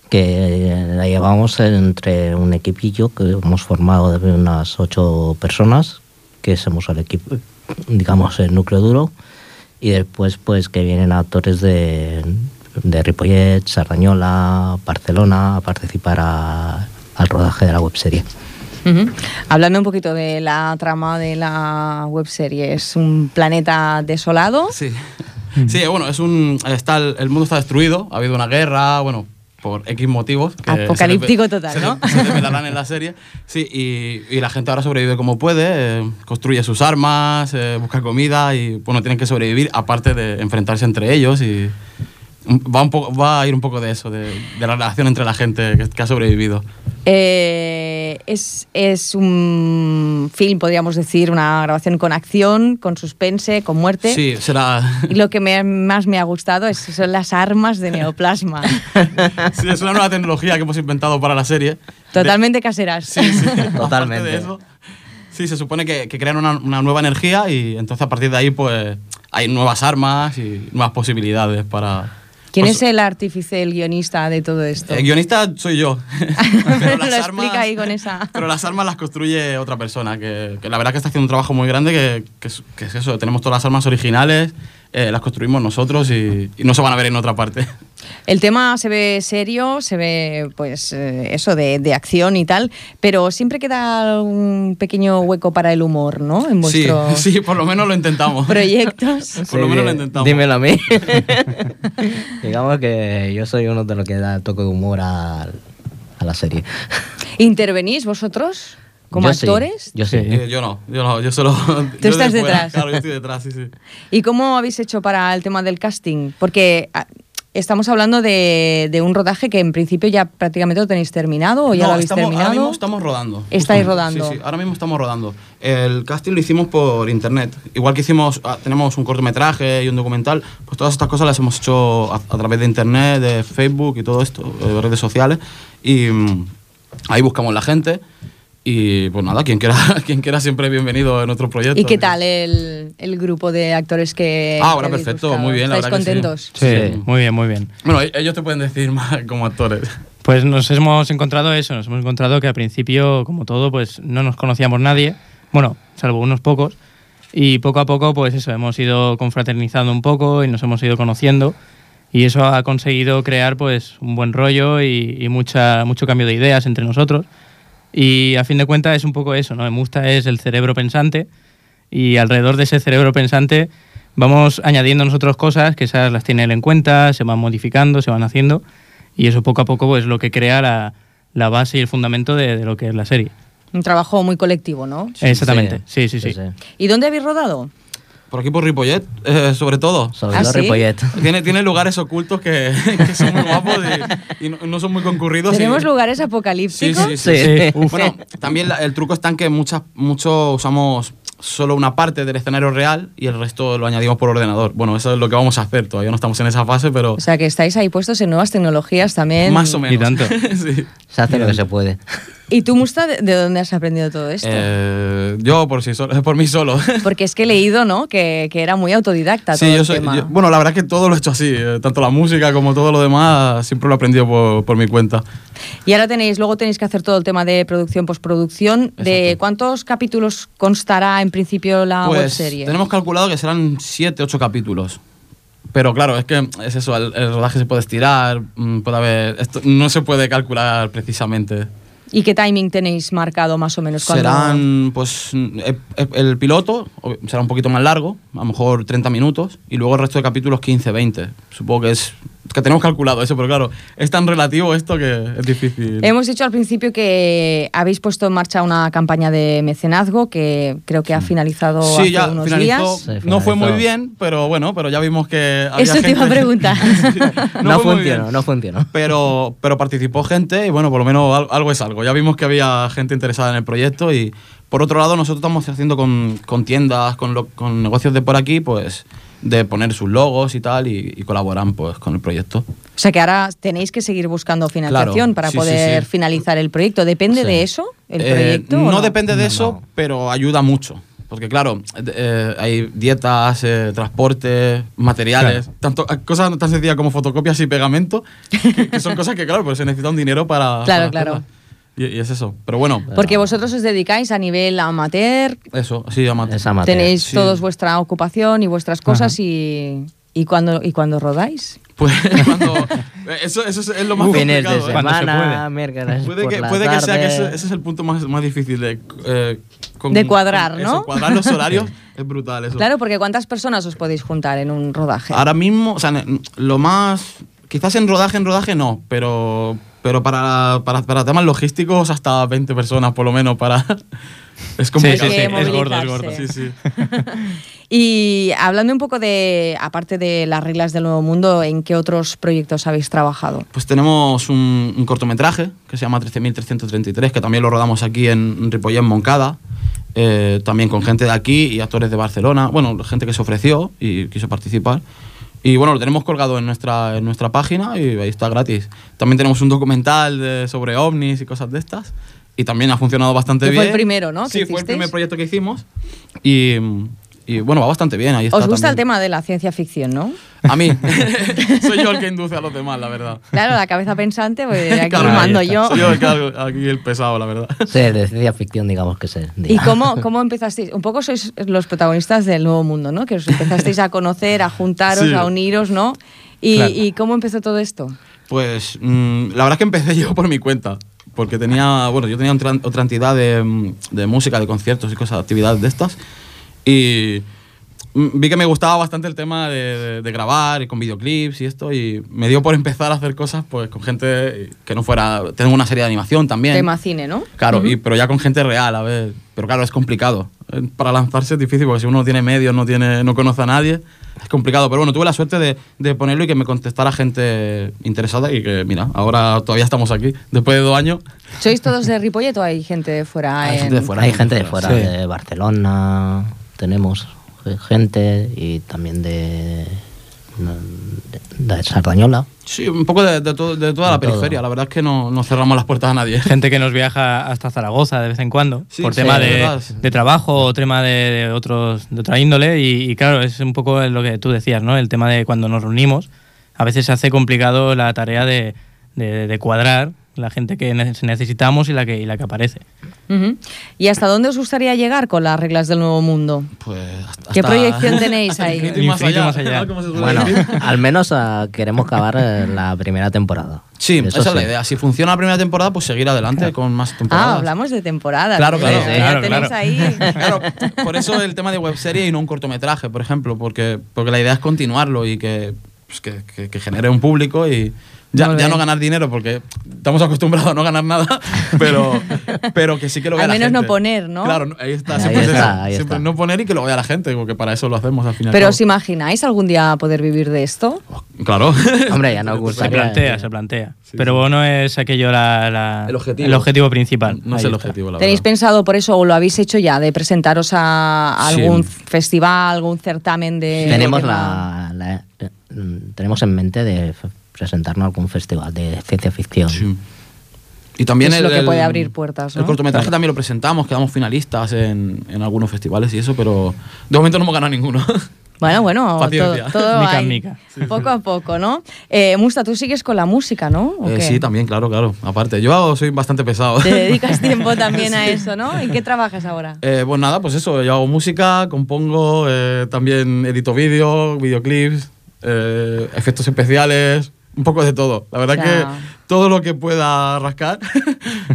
que la llevamos entre un equipillo que hemos formado de unas ocho personas, que somos el equipo, digamos, el núcleo duro, y después pues que vienen actores de, de Ripollet, Sardañola, Barcelona a participar a, al rodaje de la webserie. Uh-huh. Háblame un poquito de la trama de la webserie. ¿Es un planeta desolado? Sí, sí, bueno, es un, está el, el mundo está destruido, ha habido una guerra, bueno, por X motivos. Que apocalíptico se total, se ¿no? Se revelarán en la serie. Sí, y, y la gente ahora sobrevive como puede, eh, construye sus armas, eh, busca comida y, bueno, tienen que sobrevivir aparte de enfrentarse entre ellos y, va, un poco, va a ir un poco de eso, de, de la relación entre la gente que, que ha sobrevivido. Eh, es, es un film, podríamos decir, una grabación con acción, con suspense, con muerte. Sí, será... Y lo que me, más me ha gustado es, son las armas de neoplasma. Sí, es una nueva tecnología que hemos inventado para la serie. Totalmente de... caseras. Sí, sí. Totalmente. De eso, sí, se supone que, que crean una, una nueva energía y entonces a partir de ahí pues hay nuevas armas y nuevas posibilidades para... ¿Quién pues, es el artífice, el guionista de todo esto? El guionista soy yo. Pero las lo armas, explica ahí con esa... Pero las armas las construye otra persona, que, que la verdad que está haciendo un trabajo muy grande, que, que, es, que es eso, tenemos todas las armas originales, eh, las construimos nosotros y, y no se van a ver en otra parte. El tema se ve serio, se ve pues eh, eso de, de acción y tal, pero siempre queda un pequeño hueco para el humor, ¿no? En vuestros sí, sí, por lo menos lo intentamos. proyectos. Por Sí, lo menos lo intentamos. Dímelo a mí. Digamos que yo soy uno de los que da el toque de humor a, a la serie. ¿Intervenís vosotros como Yo sí, actores? yo sí. Eh, yo no, yo no, yo solo... Tú estás detrás. Claro, yo estoy detrás, sí, sí. ¿Y cómo habéis hecho para el tema del casting? Porque ah, estamos hablando de, de un rodaje que en principio ya prácticamente lo tenéis terminado o ya No, lo habéis estamos, terminado. Ahora mismo estamos rodando. Estáis Justo. rodando. Sí, sí, ahora mismo estamos rodando. El casting lo hicimos por internet. Igual que hicimos, ah, tenemos un cortometraje y un documental, pues todas estas cosas las hemos hecho a, a través de internet, de Facebook y todo esto, de redes sociales. Y mm, ahí buscamos la gente. Y pues nada, quien quiera, quien quiera siempre bienvenido en nuestro proyecto. ¿Y qué tal el, el grupo de actores que Ah, ahora que habéis perfecto, buscado? muy bien, la ¿Estáis verdad que sí. contentos? Sí, Sí. muy bien, muy bien. Bueno, ellos te pueden decir más como actores. Pues nos hemos encontrado eso, nos hemos encontrado que al principio, como todo, pues no nos conocíamos nadie, bueno, salvo unos pocos, y poco a poco, pues eso, hemos ido confraternizando un poco y nos hemos ido conociendo, y eso ha conseguido crear pues un buen rollo y, y mucha, mucho cambio de ideas entre nosotros. Y a fin de cuentas es un poco eso, ¿no? Musta es el cerebro pensante y alrededor de ese cerebro pensante vamos añadiendo nosotros cosas que esas las tiene él en cuenta, se van modificando, se van haciendo y eso poco a poco pues, es lo que crea la, la base y el fundamento de, de lo que es la serie. Un trabajo muy colectivo, ¿no? Exactamente, sí, sí, sí. sí. ¿Y dónde habéis rodado? Por aquí por Ripollet, eh, sobre todo. Sobre ¿Ah, todo sí? Ripollet. Tiene, tiene lugares ocultos que, que son muy guapos y, y no, no son muy concurridos. ¿Tenemos y... lugares Sí, apocalípticos? sí, sí. Sí. sí. Uf. Bueno, también la- el truco está en que muchas, mucho usamos solo una parte del escenario real y el resto lo añadimos por ordenador. Bueno, eso es lo que vamos a hacer. Todavía no estamos en esa fase, pero O sea, que estáis ahí puestos en nuevas tecnologías también. más o menos. Y tanto. Sí. Se hace lo que se puede. ¿Y tú, Musta, de, de dónde has aprendido todo esto? Eh, yo por, sí solo, por mí solo. Porque es que he leído, ¿no? Que, que era muy autodidacta todo Sí, yo el soy, tema. yo- bueno, la verdad es que todo lo he hecho así. eh, Tanto la música como todo lo demás, siempre lo he aprendido por, por mi cuenta. Y ahora tenéis, luego tenéis que hacer todo el tema de producción, postproducción. ¿De Exacto. cuántos capítulos constará en principio la Pues webserie? tenemos calculado que serán siete, ocho capítulos. Pero claro, es que es eso, el, el rodaje se puede estirar, mm, puede haber... Esto no se puede calcular precisamente. ¿Y qué timing tenéis marcado más o menos? ¿Cuándo- Serán, pues, eh, eh, el piloto ob- será un poquito más largo, a lo mejor treinta minutos, y luego el resto de capítulos quince, veinte. Supongo que es... que tenemos calculado eso, pero claro, es tan relativo esto que es difícil. Hemos dicho al principio que habéis puesto en marcha una campaña de mecenazgo que creo que ha finalizado Sí, hace ya unos finalizó. días. Sí, No fue muy finalizó. bien, pero bueno, pero ya vimos que había Eso te gente... iba a preguntar. Sí, No, fue muy bien. funcionó, no funcionó. Pero, pero participó gente y bueno, por lo menos al- algo es algo. Ya vimos que había gente interesada en el proyecto y por otro lado nosotros estamos haciendo con, con tiendas, con, lo- con negocios de por aquí, pues de poner sus logos y tal y, y colaboran pues con el proyecto. O sea que ahora tenéis que seguir buscando financiación Claro, para sí, sí, poder sí. finalizar el proyecto. ¿Depende Sí. de eso el Eh, proyecto? o no, no depende de No, eso, no. pero ayuda mucho. Porque claro, eh, hay dietas, eh, transporte, materiales, tanto, cosas tan sencillas como fotocopias y pegamento, que, que son cosas que claro, pues se necesita un dinero para... Claro, para claro. hacerlas. Y, y es eso. Pero bueno, Porque vosotros os dedicáis a nivel amateur, eso, sí, amateur. Es amateur. tenéis sí. todos vuestra ocupación y vuestras cosas y, y, cuando, y cuando rodáis. Pues cuando... Eso, eso es, es lo más Fines de complicado. ¿eh? Cuando se semana, puede. miércoles Puede por que, la puede que sea que ese, tarde. ese es el punto más, más difícil de... eh, con- De cuadrar, con ¿no? eso, cuadrar los horarios es brutal eso. Claro, porque ¿cuántas personas os podéis juntar en un rodaje? Ahora mismo, o sea, ne- lo más... Quizás en rodaje, en rodaje no, pero pero para, para, para temas logísticos hasta veinte personas por lo menos para... Es complicado. Sí, sí, sí. Es gordo, es gordo. Sí, sí. Y hablando un poco de, aparte de las reglas del Nuevo Mundo, ¿en qué otros proyectos habéis trabajado? Pues tenemos un, un cortometraje que se llama trece mil trescientos treinta y tres, que también lo rodamos aquí en Ripollet, en Moncada, eh, también con gente de aquí y actores de Barcelona, bueno, gente que se ofreció y quiso participar. Y bueno, lo tenemos colgado en nuestra, en nuestra página y ahí está gratis. También tenemos un documental de, sobre ovnis y cosas de estas. Y también ha funcionado bastante que bien. Fue el primero, ¿no? Sí, fue el primer proyecto que hicimos. Y, y bueno, va bastante bien. Ahí está. Os gusta también el tema de la ciencia ficción, ¿no? A mí. Soy yo el que induce a los demás, la verdad. Claro, la cabeza pensante, pues aquí Claro, mando yo. Soy yo el que hago aquí el pesado, la verdad. Sí, de ciencia ficción, digamos que se diga. ¿Y cómo, cómo empezasteis? Un poco sois los protagonistas del Nuevo Mundo, ¿no? Que os empezasteis a conocer, a juntaros, Sí. a uniros, ¿no? Y, Claro. ¿Y cómo empezó todo esto? Pues mmm, la verdad es que empecé yo por mi cuenta. Porque tenía, bueno, yo tenía otra, otra entidad de, de música, de conciertos y cosas, actividades de estas. Y vi que me gustaba bastante el tema de, de, de grabar y con videoclips y esto. Y me dio por empezar a hacer cosas pues con gente que no fuera... Tengo una serie de animación también. Tema cine, ¿no? Claro, Uh-huh. y, pero ya con gente real, a ver. Pero claro, es complicado. Para lanzarse es difícil porque si uno no tiene medios, no, tiene, no conoce a nadie, es complicado. Pero bueno, tuve la suerte de, de ponerlo y que me contestara gente interesada y que, mira, ahora todavía estamos aquí, después de dos años. ¿Sois todos de Ripollet o hay gente de fuera? Hay en... gente de fuera. Hay gente de fuera, Sí. de Barcelona, tenemos gente y también de, de, de Sardañola. Sí, un poco de, de, todo, de toda De la todo. periferia. La verdad es que no, no cerramos las puertas a nadie. Gente que nos viaja hasta Zaragoza de vez en cuando, Sí, por sí, tema de de, verdad. de trabajo o tema de, de, otros, de otra índole. Y, y claro, es un poco lo que tú decías, ¿no? El tema de cuando nos reunimos, a veces se hace complicado la tarea de, de, de cuadrar la gente que ne- necesitamos y la que, y la que aparece. Uh-huh. ¿Y hasta dónde os gustaría llegar con las reglas del Nuevo Mundo? Pues hasta, ¿Qué proyección tenéis hasta el ahí? infinito y más Infinito y allá, más allá. ¿no? Como se suele Bueno, decir. al menos uh, queremos acabar eh, la primera temporada. Sí, Eso esa es sí. la idea. Si funciona la primera temporada, pues seguir adelante con más temporadas. Ah, hablamos de temporada. Claro, claro, Ya claro, tenéis claro. ahí. Claro, por eso el tema de webserie y no un cortometraje, por ejemplo, porque, porque la idea es continuarlo y que, pues que, que, que genere un público y ya, Muy ya bien. no ganar dinero, porque estamos acostumbrados a no ganar nada, pero, pero que sí que lo vea Al la menos gente. no poner, ¿no? Claro, ahí está, Ahí siempre es está, eso, ahí siempre está. no poner y que lo vea la gente, porque para eso lo hacemos al final. ¿Pero os imagináis algún día poder vivir de esto? Claro. Hombre, ya nos Se gustaría. plantea, se plantea. Sí, Pero sí. no es aquello la, la- El objetivo. el objetivo principal. No es Ahí el está. objetivo, la ¿Tenéis verdad. pensado por eso o lo habéis hecho ya de presentaros a Sí. algún festival, algún certamen de... Tenemos, de- la, la- eh, mm, tenemos en mente de f- presentarnos a algún festival de ciencia ficción. Sí. Y también Es el, lo que el- puede abrir puertas, ¿no? El cortometraje también lo presentamos, quedamos finalistas en, en algunos festivales y eso, pero de momento no hemos ganado ninguno. Bueno, bueno, todo, Paciencia. todo Mica en ahí, mica. poco a poco, ¿no? Eh, Musta, tú sigues con la música, ¿no? ¿O Eh, qué? sí, también, claro, claro. Aparte, yo soy bastante pesado. Te dedicas tiempo también a eso, ¿no? ¿En qué trabajas ahora? Eh, pues nada, pues eso, yo hago música, compongo, eh, también edito vídeos, videoclips, eh, efectos especiales, un poco de todo. La verdad O sea- que todo lo que pueda rascar,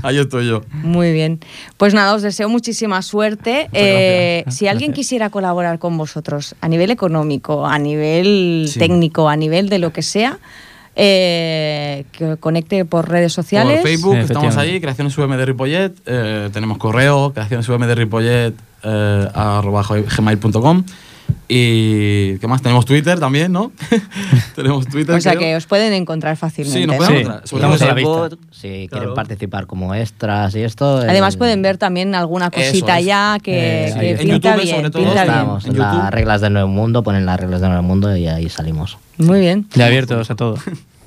ahí estoy yo. Muy bien. Pues nada, os deseo muchísima suerte. Eh, gracias. si alguien Gracias. quisiera colaborar con vosotros a nivel económico, a nivel Sí. técnico, a nivel de lo que sea, eh, que conecte por redes sociales. Por Facebook, Sí, estamos efectivamente. ahí, Creaciones V M de Ripollet, eh, tenemos correo, creaciones V M de Ripollet, eh, arroba gmail punto com. Y ¿qué más? Tenemos Twitter también, ¿no? Tenemos Twitter. O sea creo. que os pueden encontrar fácilmente. Sí, nos ¿no? pueden Sí, encontrar. Sobre estamos todo a la eso. vista. Si Claro. quieren participar como extras y esto. Además eh, pueden ver también alguna Eso cosita es. ya que, Eh, que sí. En pinta YouTube, bien. sobre todo, pinta bien. Estamos En en YouTube. las reglas del Nuevo Mundo, ponen las reglas del Nuevo Mundo y ahí salimos. Muy bien. De abiertos a todo.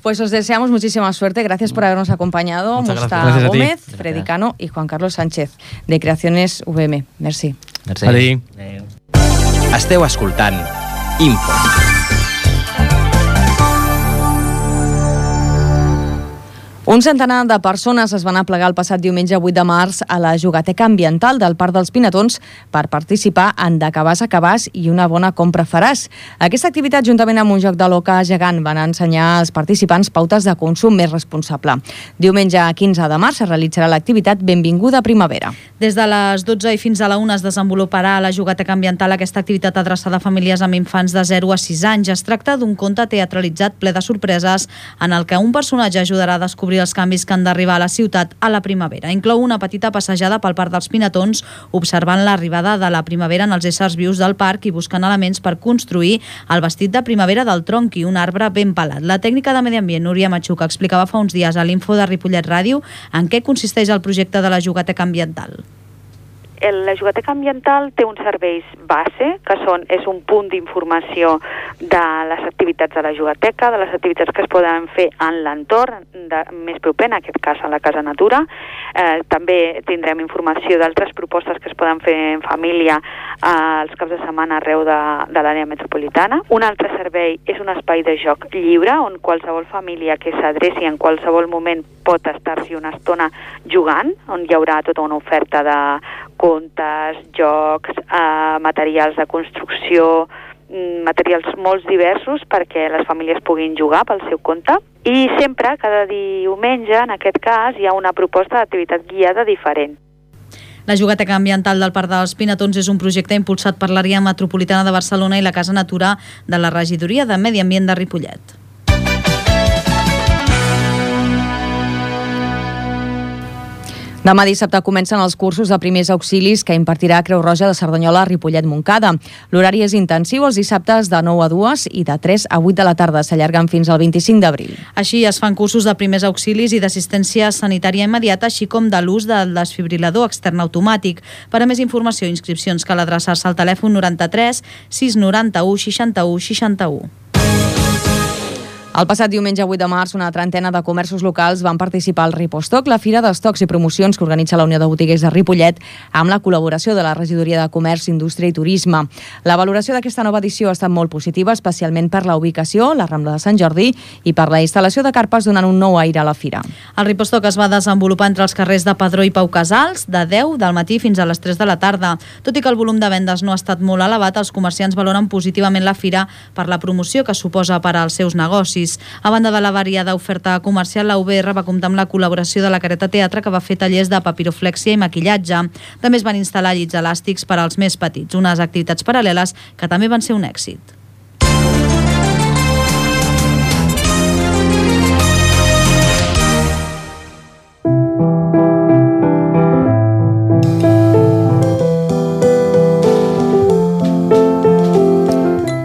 Pues os deseamos muchísima suerte. Gracias por habernos acompañado. Muchas Musta gracias. Gracias a ti. Gómez, Gracias. Freddy Cano y Juan Carlos Sánchez, de Creaciones V M. Merci. Merci. Adéu. Adéu. Esteu escoltant Info. Un centenar de persones es van aplegar el passat diumenge vuit de març a la Jugateca Ambiental del Parc dels Pinatons per participar en De cabàs a cabàs i una bona compra faràs. Aquesta activitat, juntament amb un joc de l'oca gegant, van ensenyar als participants pautes de consum més responsable. Diumenge quinze de març es realitzarà l'activitat Benvinguda Primavera. Des de les dotze i fins a la una es desenvoluparà a la Jugateca Ambiental aquesta activitat adreçada a famílies amb infants de zero a sis anys. Es tracta d'un conte teatralitzat ple de sorpreses en el que un personatge ajudarà a descobrir els altres canvis que han d'arribar a la ciutat a la primavera. Inclou una petita passejada pel Parc dels Pinatons, observant l'arribada de la primavera en els éssers vius del parc i buscant elements per construir el vestit de primavera del tronqui, un arbre ben pelat. La tècnica de Medi Ambient, Núria Machuca, explicava fa uns dies a l'Info de Ripollet Ràdio en què consisteix el projecte de la jugateca ambiental. La jugateca ambiental té uns serveis base, que són, és un punt d'informació de les activitats de la jugateca, de les activitats que es poden fer en l'entorn més proper, en aquest cas a la Casa Natura. Eh, també tindrem informació d'altres propostes que es poden fer en família eh, els caps de setmana arreu de, de l'àrea metropolitana. Un altre servei és un espai de joc lliure, on qualsevol família que s'adreci en qualsevol moment pot estar-s'hi una estona jugant, on hi haurà tota una oferta de contes, jocs, eh, materials de construcció, materials molt diversos perquè les famílies puguin jugar pel seu compte. I sempre, cada diumenge, en aquest cas, hi ha una proposta d'activitat guiada diferent. La jugateca ambiental del Parc dels Pinatons és un projecte impulsat per l'àrea metropolitana de Barcelona i la Casa Natura de la Regidoria de Medi Ambient de Ripollet. Demà dissabte comencen els cursos de primers auxilis que impartirà Creu Roja de Cerdanyola a Ripollet-Montcada. L'horari és intensiu els dissabtes de nou a dues i de tres a vuit de la tarda. S'allarguen fins al vint-i-cinc d'abril. Així es fan cursos de primers auxilis i d'assistència sanitària immediata, així com de l'ús del desfibrilador extern automàtic. Per a més informació i inscripcions cal adreçar-se al telèfon noranta-tres sis noranta-u seixanta-u seixanta-u. El passat diumenge vuit de març, una trentena de comerços locals van participar al Ripostoc, la fira d'estocs i promocions que organitza la Unió de Botiguers de Ripollet, amb la col·laboració de la Regidoria de Comerç, Indústria i Turisme. La valoració d'aquesta nova edició ha estat molt positiva, especialment per la ubicació, la Rambla de Sant Jordi, i per la instal·lació de carpes donant un nou aire a la fira. El Ripostoc es va desenvolupar entre els carrers de Padró i Pau Casals, de deu del matí fins a les tres de la tarda. Tot i que el volum de vendes no ha estat molt elevat, els comerciants valoren positivament la fira per la promoció que suposa per als seus negocis. A banda de la variada oferta comercial, la U B R va comptar amb la col·laboració de la Careta Teatre, que va fer tallers de papiroflèxia i maquillatge. També es van instal·lar llits elàstics per als més petits, unes activitats paral·leles que també van ser un èxit.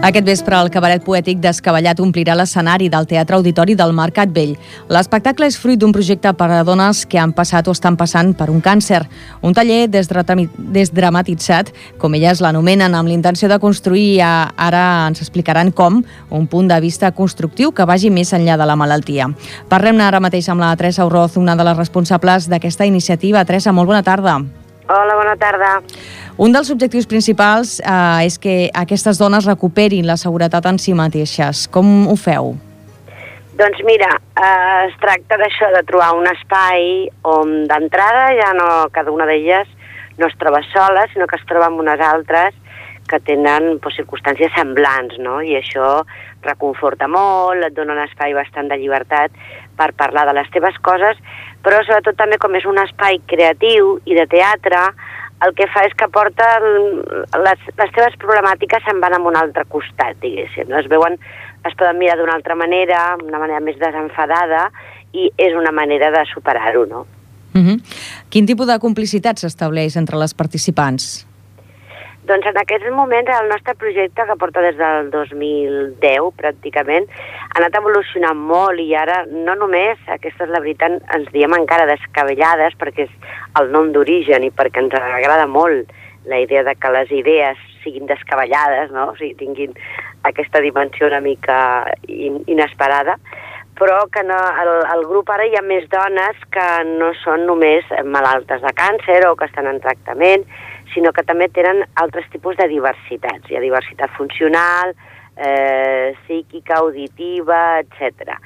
Aquest vespre, el cabaret poètic Descabellat omplirà l'escenari del Teatre Auditori del Mercat Vell. L'espectacle és fruit d'un projecte per a dones que han passat o estan passant per un càncer. Un taller desdramatitzat, com elles l'anomenen, amb l'intenció de construir, ara ens explicaran com, un punt de vista constructiu que vagi més enllà de la malaltia. Parlem ara mateix amb la Teresa Urroz, una de les responsables d'aquesta iniciativa. Teresa, molt bona tarda. Hola, bona tarda. Un dels objectius principals eh, és que aquestes dones recuperin la seguretat en si mateixes. Com ho feu? Doncs mira, eh, es tracta d'això, de trobar un espai on d'entrada ja no cada una d'elles no es troba sola, sinó que es troba amb unes altres que tenen pues, circumstàncies semblants, no? I això reconforta molt, et dona un espai bastant de llibertat per parlar de les teves coses, però sobretot també com és un espai creatiu i de teatre, el que fa és que porta el, les, les teves problemàtiques se'n van a un altre costat, diguéssim. No? Es veuen, es poden mirar d'una altra manera, una manera més desenfadada, i és una manera de superar-ho, no? Uh-huh. Quin tipus de complicitat s'estableix entre les participants? Doncs en aquests moments el nostre projecte, que porta des del dos mil deu pràcticament, ha anat evolucionant molt i ara no només, aquesta és la veritat, ens diem encara Descabellades perquè és el nom d'origen i perquè ens agrada molt la idea de que les idees siguin descabellades, no? O sigui, tinguin aquesta dimensió una mica in inesperada, però que no, el, el grup ara hi ha més dones que no són només malaltes de càncer o que estan en tractament, sinó que també tenen altres tipus de diversitats. Hi ha diversitat funcional, eh, psíquica, auditiva, etcètera.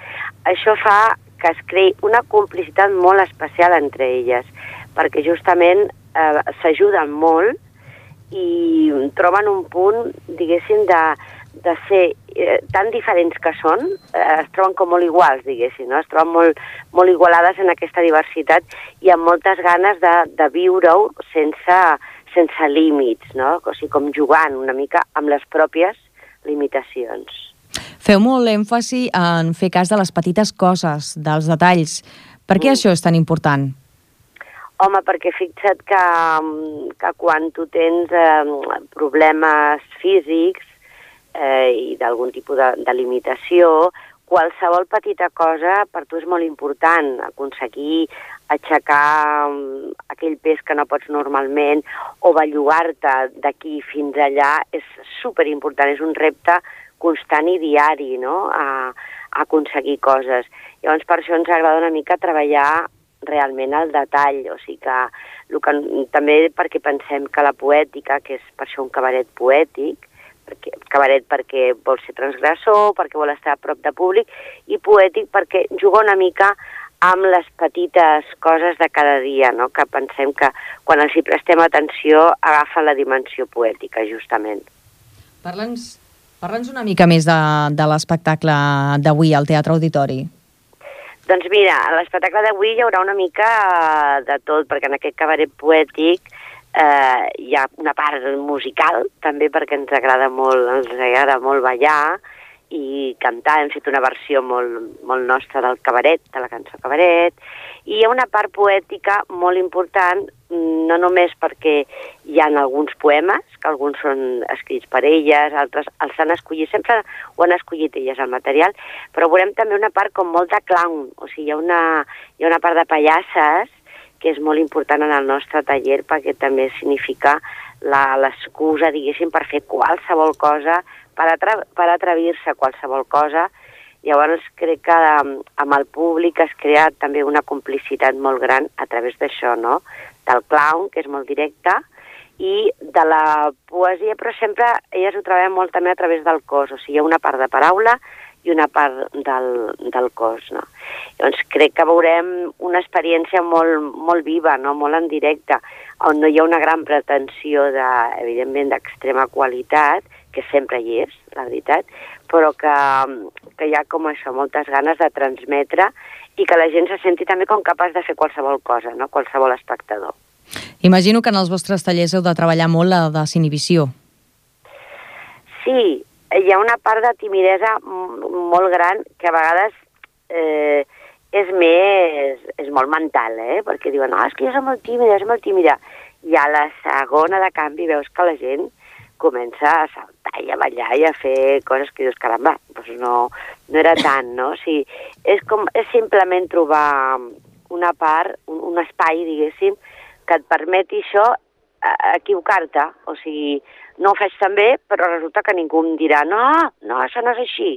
Això fa que es creï una complicitat molt especial entre elles, perquè justament eh, s'ajuden molt i troben un punt, diguéssim, de, de ser eh, tan diferents que són, eh, es troben com molt iguals, diguéssim, no? Es troben molt, molt igualades en aquesta diversitat i amb moltes ganes de, de viure-ho sense... sense límits, no? O sigui, com jugant una mica amb les pròpies limitacions. Feu molt èmfasi en fer cas de les petites coses, dels detalls, Per què això és tan important? Home, perquè fixa't que, que quan tu tens eh, problemes físics eh, i d'algun tipus de, de limitació, qualsevol petita cosa per tu és molt important. Aconseguir aixecar aquell pes que no pots normalment o bellugar-te d'aquí fins allà és superimportant, és un repte constant i diari, no?, a, a aconseguir coses. Llavors, per això ens agrada una mica treballar realment al detall, o sigui que, el que també perquè pensem que la poètica, que és per això un cabaret poètic, perquè, cabaret perquè vol ser transgressor, perquè vol estar a prop de públic, i poètic perquè juga una mica amb les petites coses de cada dia, no?, que pensem que quan els hi prestem atenció agafen la dimensió poètica, justament. Parla'ns parla'ns una mica més de, de l'espectacle d'avui al Teatre Auditori. Doncs mira, a l'espectacle d'avui hi haurà una mica de tot, perquè en aquest cabaret poètic eh, hi ha una part musical, també perquè ens agrada molt, ens agrada molt ballar i cantar. Hem fet una versió molt, molt nostra del cabaret, de la cançó cabaret, i hi ha una part poètica molt important, no només perquè hi ha alguns poemes, que alguns són escrits per elles, altres els han escollit, sempre ho han escollit elles el material, però veurem també una part com molt de clown, o sigui, hi ha una, hi ha una part de pallasses que és molt important en el nostre taller perquè també significa l'excusa, diguéssim, per fer qualsevol cosa, per, atra per atrevir-se a qualsevol cosa. Llavors crec que amb el públic es crea també una complicitat molt gran a través d'això, no?, del clown, que és molt directe, i de la poesia, però sempre elles ho treballen molt també a través del cos, o sigui, hi ha una part de paraula i una part del, del cos, no? Llavors crec que veurem una experiència molt, molt viva, no?, molt en directe, on no hi ha una gran pretensió, de, evidentment, d'extrema qualitat, que sempre hi és, la veritat, però que, que hi ha com això, moltes ganes de transmetre i que la gent se senti també com capaç de fer qualsevol cosa, no?, qualsevol espectador. Imagino que en els vostres tallers heu de treballar molt la desinhibició. Sí, hi ha una part de timidesa molt gran que a vegades eh, és més, és molt mental, eh? Perquè diuen, no, és que jo soc molt tímida, soc molt tímida. I a la segona de canvi veus que la gent comença a saltar i a ballar i a fer coses que dius, caramba, doncs no, no era tant, no? O sigui, és, com, és simplement trobar una part, un, un espai, diguéssim, que et permeti això, equivocar-te. O sigui, no ho faig tan bé, però resulta que ningú em dirà, no, no, això no és així.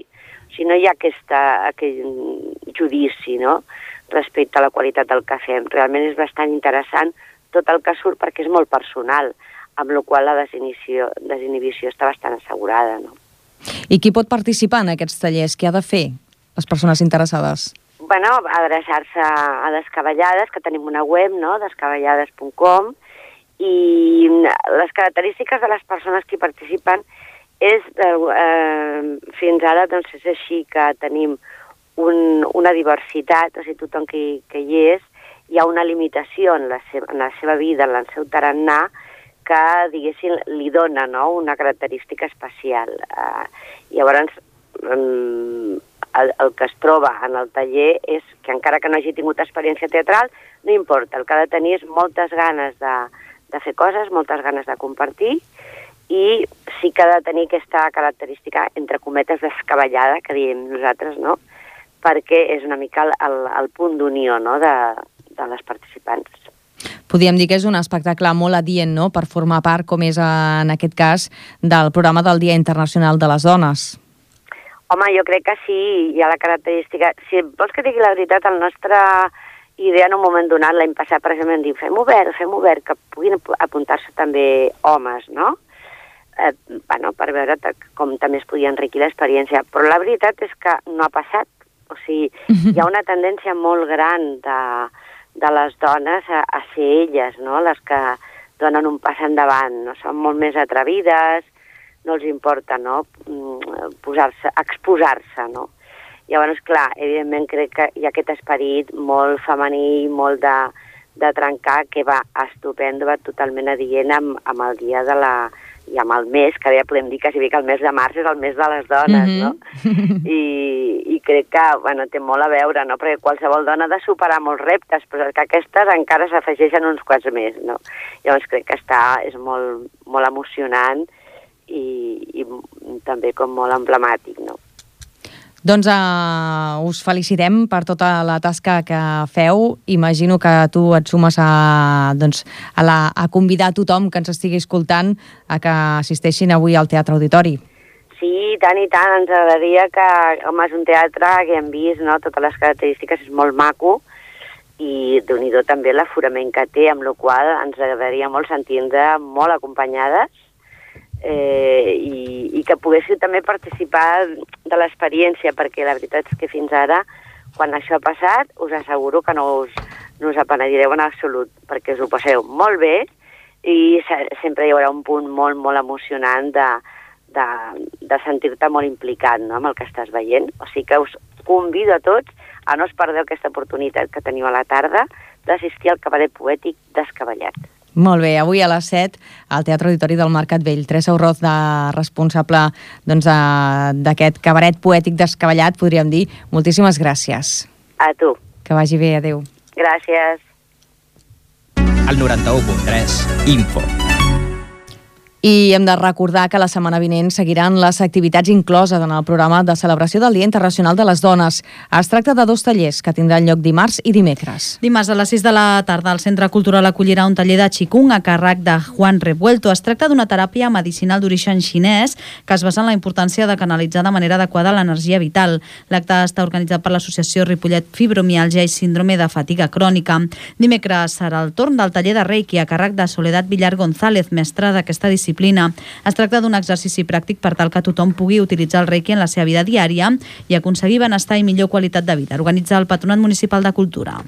O sigui, no hi ha aquesta, aquest judici, no?, respecte a la qualitat del que fem. Realment és bastant interessant tot el que surt perquè és molt personal, amb la qual la desinhibició, desinhibició està bastant assegurada, no? I qui pot participar en aquests tallers? Què ha de fer les persones interessades? Bueno, adreçar-se a Descabellades, que tenim una web, no?, descabellades punt com, i les característiques de les persones que hi participen és, eh, fins ara, doncs és així que tenim un, una diversitat, o sigui, tothom que, que hi és, hi ha una limitació en la seva, en la seva vida, en el seu tarannà, que, diguéssim, li dona, no?, una característica especial. Uh, llavors, um, el, el que es troba en el taller és que encara que no hagi tingut experiència teatral, no importa, el que ha de tenir és moltes ganes de, de fer coses, moltes ganes de compartir, i sí que ha de tenir aquesta característica, entre cometes, descabellada, que diem nosaltres, no?, perquè és una mica el, el, el punt d'unió, no?, de, de les participants. Podríem dir que és un espectacle molt adient, no?, per formar part, com és en aquest cas, del programa del Dia Internacional de les Dones. Home, jo crec que sí, hi ha la característica... Si vols que digui la veritat, la nostra idea en un moment donat, l'any passat, per exemple, dir fem obert, fem obert, que puguin apuntar-se també homes, no?, eh, bueno, per veure com també es podia enriquir l'experiència. Però la veritat és que no ha passat. O sigui, hi ha una tendència molt gran de... de les dones a, a ser elles, no?, les que donen un pas endavant, no? Són molt més atrevides, no els importa, no?, posar-se, exposar-se, no? Llavors, clar, evidentment crec que hi ha aquest esperit molt femení, molt de, de trencar, que va estupendo, va totalment adient amb, amb el dia de la... i amb el mes, que ja podem dir quasi bé que el mes de març és el mes de les dones, mm-hmm. no? I, I crec que, bueno, té molt a veure, no? Perquè qualsevol dona ha de superar molts reptes, però que aquestes encara s'afegeixen uns quants més, no? Llavors crec que està, és molt, molt emocionant i, i també com molt emblemàtic, no? Doncs uh, us felicitem per tota la tasca que feu. Imagino que tu et sumes a, doncs, a, la, a convidar a tothom que ens estigui escoltant a que assisteixin avui al Teatre Auditori. Sí, tant i tant. Ens agradaria que, home, és un teatre que hem vist, no? Totes les característiques, és molt maco i déu-n'hi-do també l'aforament que té, amb la qual ens agradaria molt sentir-nos molt acompanyades. Eh, i, i que poguéssiu també participar de l'experiència, perquè la veritat és que fins ara, quan això ha passat, us asseguro que no us, no us apenedireu en absolut, perquè us ho passeu molt bé i sempre hi haurà un punt molt, molt emocionant de, de, de sentir-te molt implicat, no?, amb el que estàs veient. O sigui que us convido a tots a no us perdeu aquesta oportunitat que teniu a la tarda d'assistir al cabaret poètic Descabellat. Molt bé, avui a les set al Teatre Auditori del Mercat Vell. Teresa Urroz, de responsable doncs, d'aquest cabaret poètic Descabellat, podríem dir. Moltíssimes gràcies. A tu. Que vagi bé, adéu. Gràcies. Al noranta-u punt tres, Info. I hem de recordar que la setmana vinent seguiran les activitats incloses en el programa de celebració del Dia Internacional de les Dones. Es tracta de dos tallers que tindran lloc dimarts i dimecres. Dimarts a les sis de la tarda el Centre Cultural acollirà un taller de Qigong a càrrec de Juan Revuelto. Es tracta d'una teràpia medicinal d'origen xinès que es basa en la importància de canalitzar de manera adequada l'energia vital. L'acte està organitzat per l'associació Ripollet Fibromialgia i Síndrome de Fatiga Crònica. Dimecres serà el torn del taller de Reiki a càrrec de Soledad Villar González, mestra d'aquesta disciplina. Es tracta d'un exercici pràctic per tal que tothom pugui utilitzar el Reiki en la seva vida diària i aconseguir benestar i millor qualitat de vida. Organitza el Patronat Municipal de Cultura.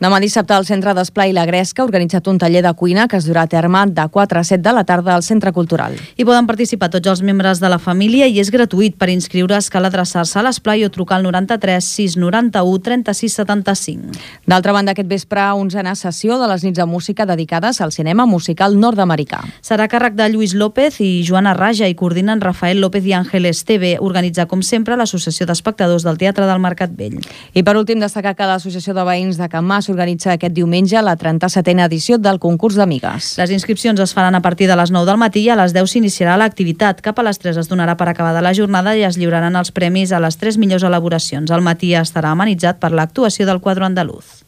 Demà dissabte al Centre d'Esplai La Gresca ha organitzat un taller de cuina que es durà a terme de quatre a set de la tarda al Centre Cultural. Hi poden participar tots els membres de la família i és gratuït. Per inscriure's cal adreçar-se a l'esplai o trucar al noranta-tres sis noranta-u trenta-sis setanta-cinc. D'altra banda, aquest vespre, onzena sessió de les nits de música dedicades al cinema musical nord-americà. Serà a càrrec de Lluís López i Joana Raja i coordinen Rafael López i Àngel Esteve. Organitza, com sempre, l'Associació d'Espectadors del Teatre del Mercat Vell. I per últim, destacar que l'Associació de Veïns de Can Mas organitza aquest diumenge la trenta-setena edició del concurs d'amigues. Les inscripcions es faran a partir de les nou del matí i a les deu s'iniciarà l'activitat. Cap a les tres es donarà per acabada la jornada i es lliuraran els premis a les tres millors elaboracions. Al matí estarà amenitzat per l'actuació del quadro andalús.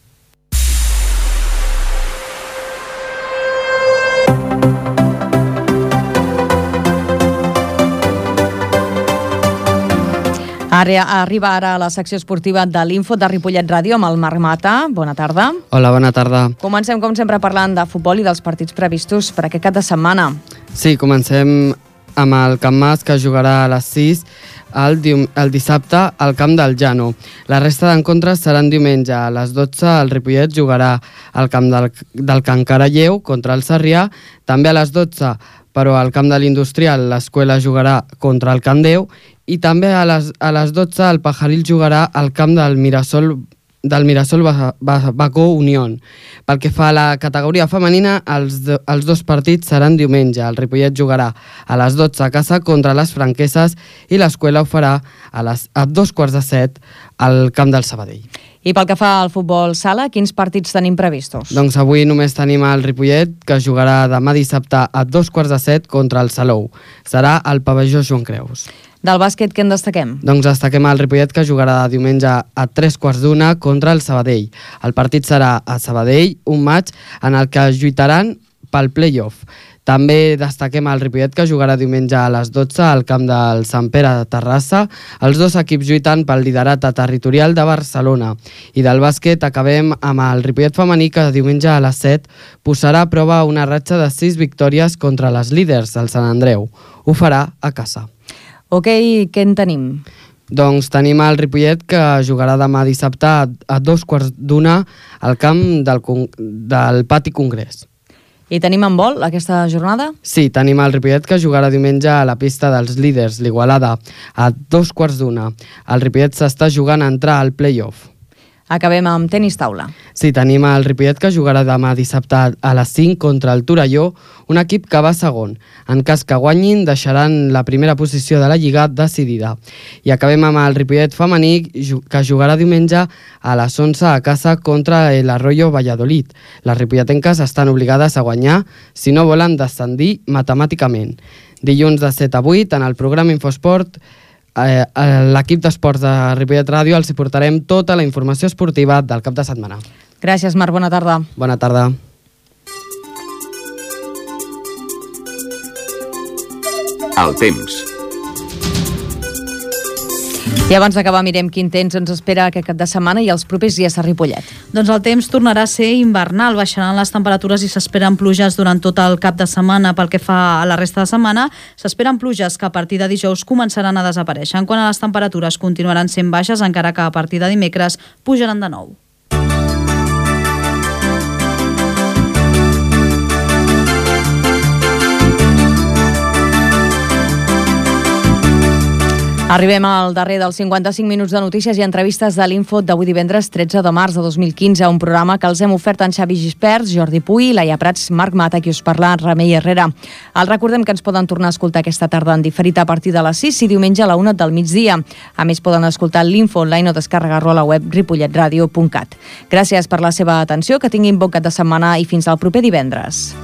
Ara, arriba ara a la secció esportiva de l'Info de Ripollet Ràdio amb el Marc Mata. Bona tarda. Hola, bona tarda. Comencem, com sempre, parlant de futbol i dels partits previstos per aquest cap de setmana. Sí, comencem amb el Can Mas, que jugarà a les sis el, el dissabte al camp del Llano. La resta d'encontres seran diumenge. A les dotze el Ripollet jugarà al camp del, del Can Caralleu contra el Sarrià. També a les dotze, però al camp de l'Industrial, l'Escuela jugarà contra el Can Déu. I també a les, a les dotze el Pajaril jugarà al camp del Mirasol, del Mirasol Bacó Unión. Pel que fa a la categoria femenina, els, de, els dos partits seran diumenge. El Ripollet jugarà a les dotze a casa contra les Franqueses i l'Escuela ho farà a, les, a dos quarts de set al camp del Sabadell. I pel que fa al futbol sala, quins partits tenim previstos? Doncs avui només tenim el Ripollet, que jugarà demà dissabte a dos quarts de set contra el Salou. Serà al pavelló Joan Creus. Del bàsquet, què en destaquem? Doncs destaquem el Ripollet, que jugarà diumenge a tres quarts d'una contra el Sabadell. El partit serà a Sabadell, un maig en el que lluitaran pel play-off. També destaquem el Ripollet, que jugarà diumenge a les dotze al camp del Sant Pere de Terrassa. Els dos equips lluiten pel liderat territorial de Barcelona. I del bàsquet acabem amb el Ripollet femení, que diumenge a les set posarà a prova una ratxa de sis victòries contra les líders del Sant Andreu. Ho farà a casa. Ok, què en tenim? Doncs tenim el Ripollet, que jugarà demà dissabte a, a dos quarts d'una al camp del, del Pati Congrés. I tenim handbol aquesta jornada? Sí, tenim el Ripollet, que jugarà diumenge a la pista dels líders, l'Igualada, a dos quarts d'una. El Ripollet s'està jugant a entrar al play-off. Acabem amb tenis taula. Sí, tenim el Ripollet que jugarà demà dissabte a les cinc contra el Torelló, un equip que va segon. En cas que guanyin, deixaran la primera posició de la Lliga decidida. I acabem amb el Ripollet femení, que jugarà diumenge a les onze a casa contra el Arroyo Valladolid. Les ripolletenques estan obligades a guanyar si no volen descendir matemàticament. Dilluns de set a vuit, en el programa Infosport, eh, l'equip d'esports de Ripollet Ràdio els hi portarem tota la informació esportiva del cap de setmana. Gràcies, Marc. Bona tarda. Bona tarda. El temps. I abans d'acabar mirem quin temps ens espera aquest cap de setmana i els propers dies a Ripollet. Doncs el temps tornarà a ser invernal, baixaran les temperatures i s'esperen pluges durant tot el cap de setmana. Pel que fa a la resta de setmana, s'esperen pluges que a partir de dijous començaran a desaparèixer. En quant a les temperatures, continuaran sent baixes, encara que a partir de dimecres pujaran de nou. Arribem al darrer dels cinquanta-cinc minuts de notícies i entrevistes de l'Info d'avui divendres tretze de març de dos mil quinze, un programa que els hem ofert en Xavi Gispert, Jordi Puy, Laia Prats, Marc Mata, qui us parla, Remei Herrera. Els recordem que ens poden tornar a escoltar aquesta tarda en diferit a partir de les sis i diumenge a la una del migdia. A més, poden escoltar l'Info online o descarregar-lo a la web ripollet radio punt cat. Gràcies per la seva atenció, que tinguin bon cap de setmana i fins al proper divendres.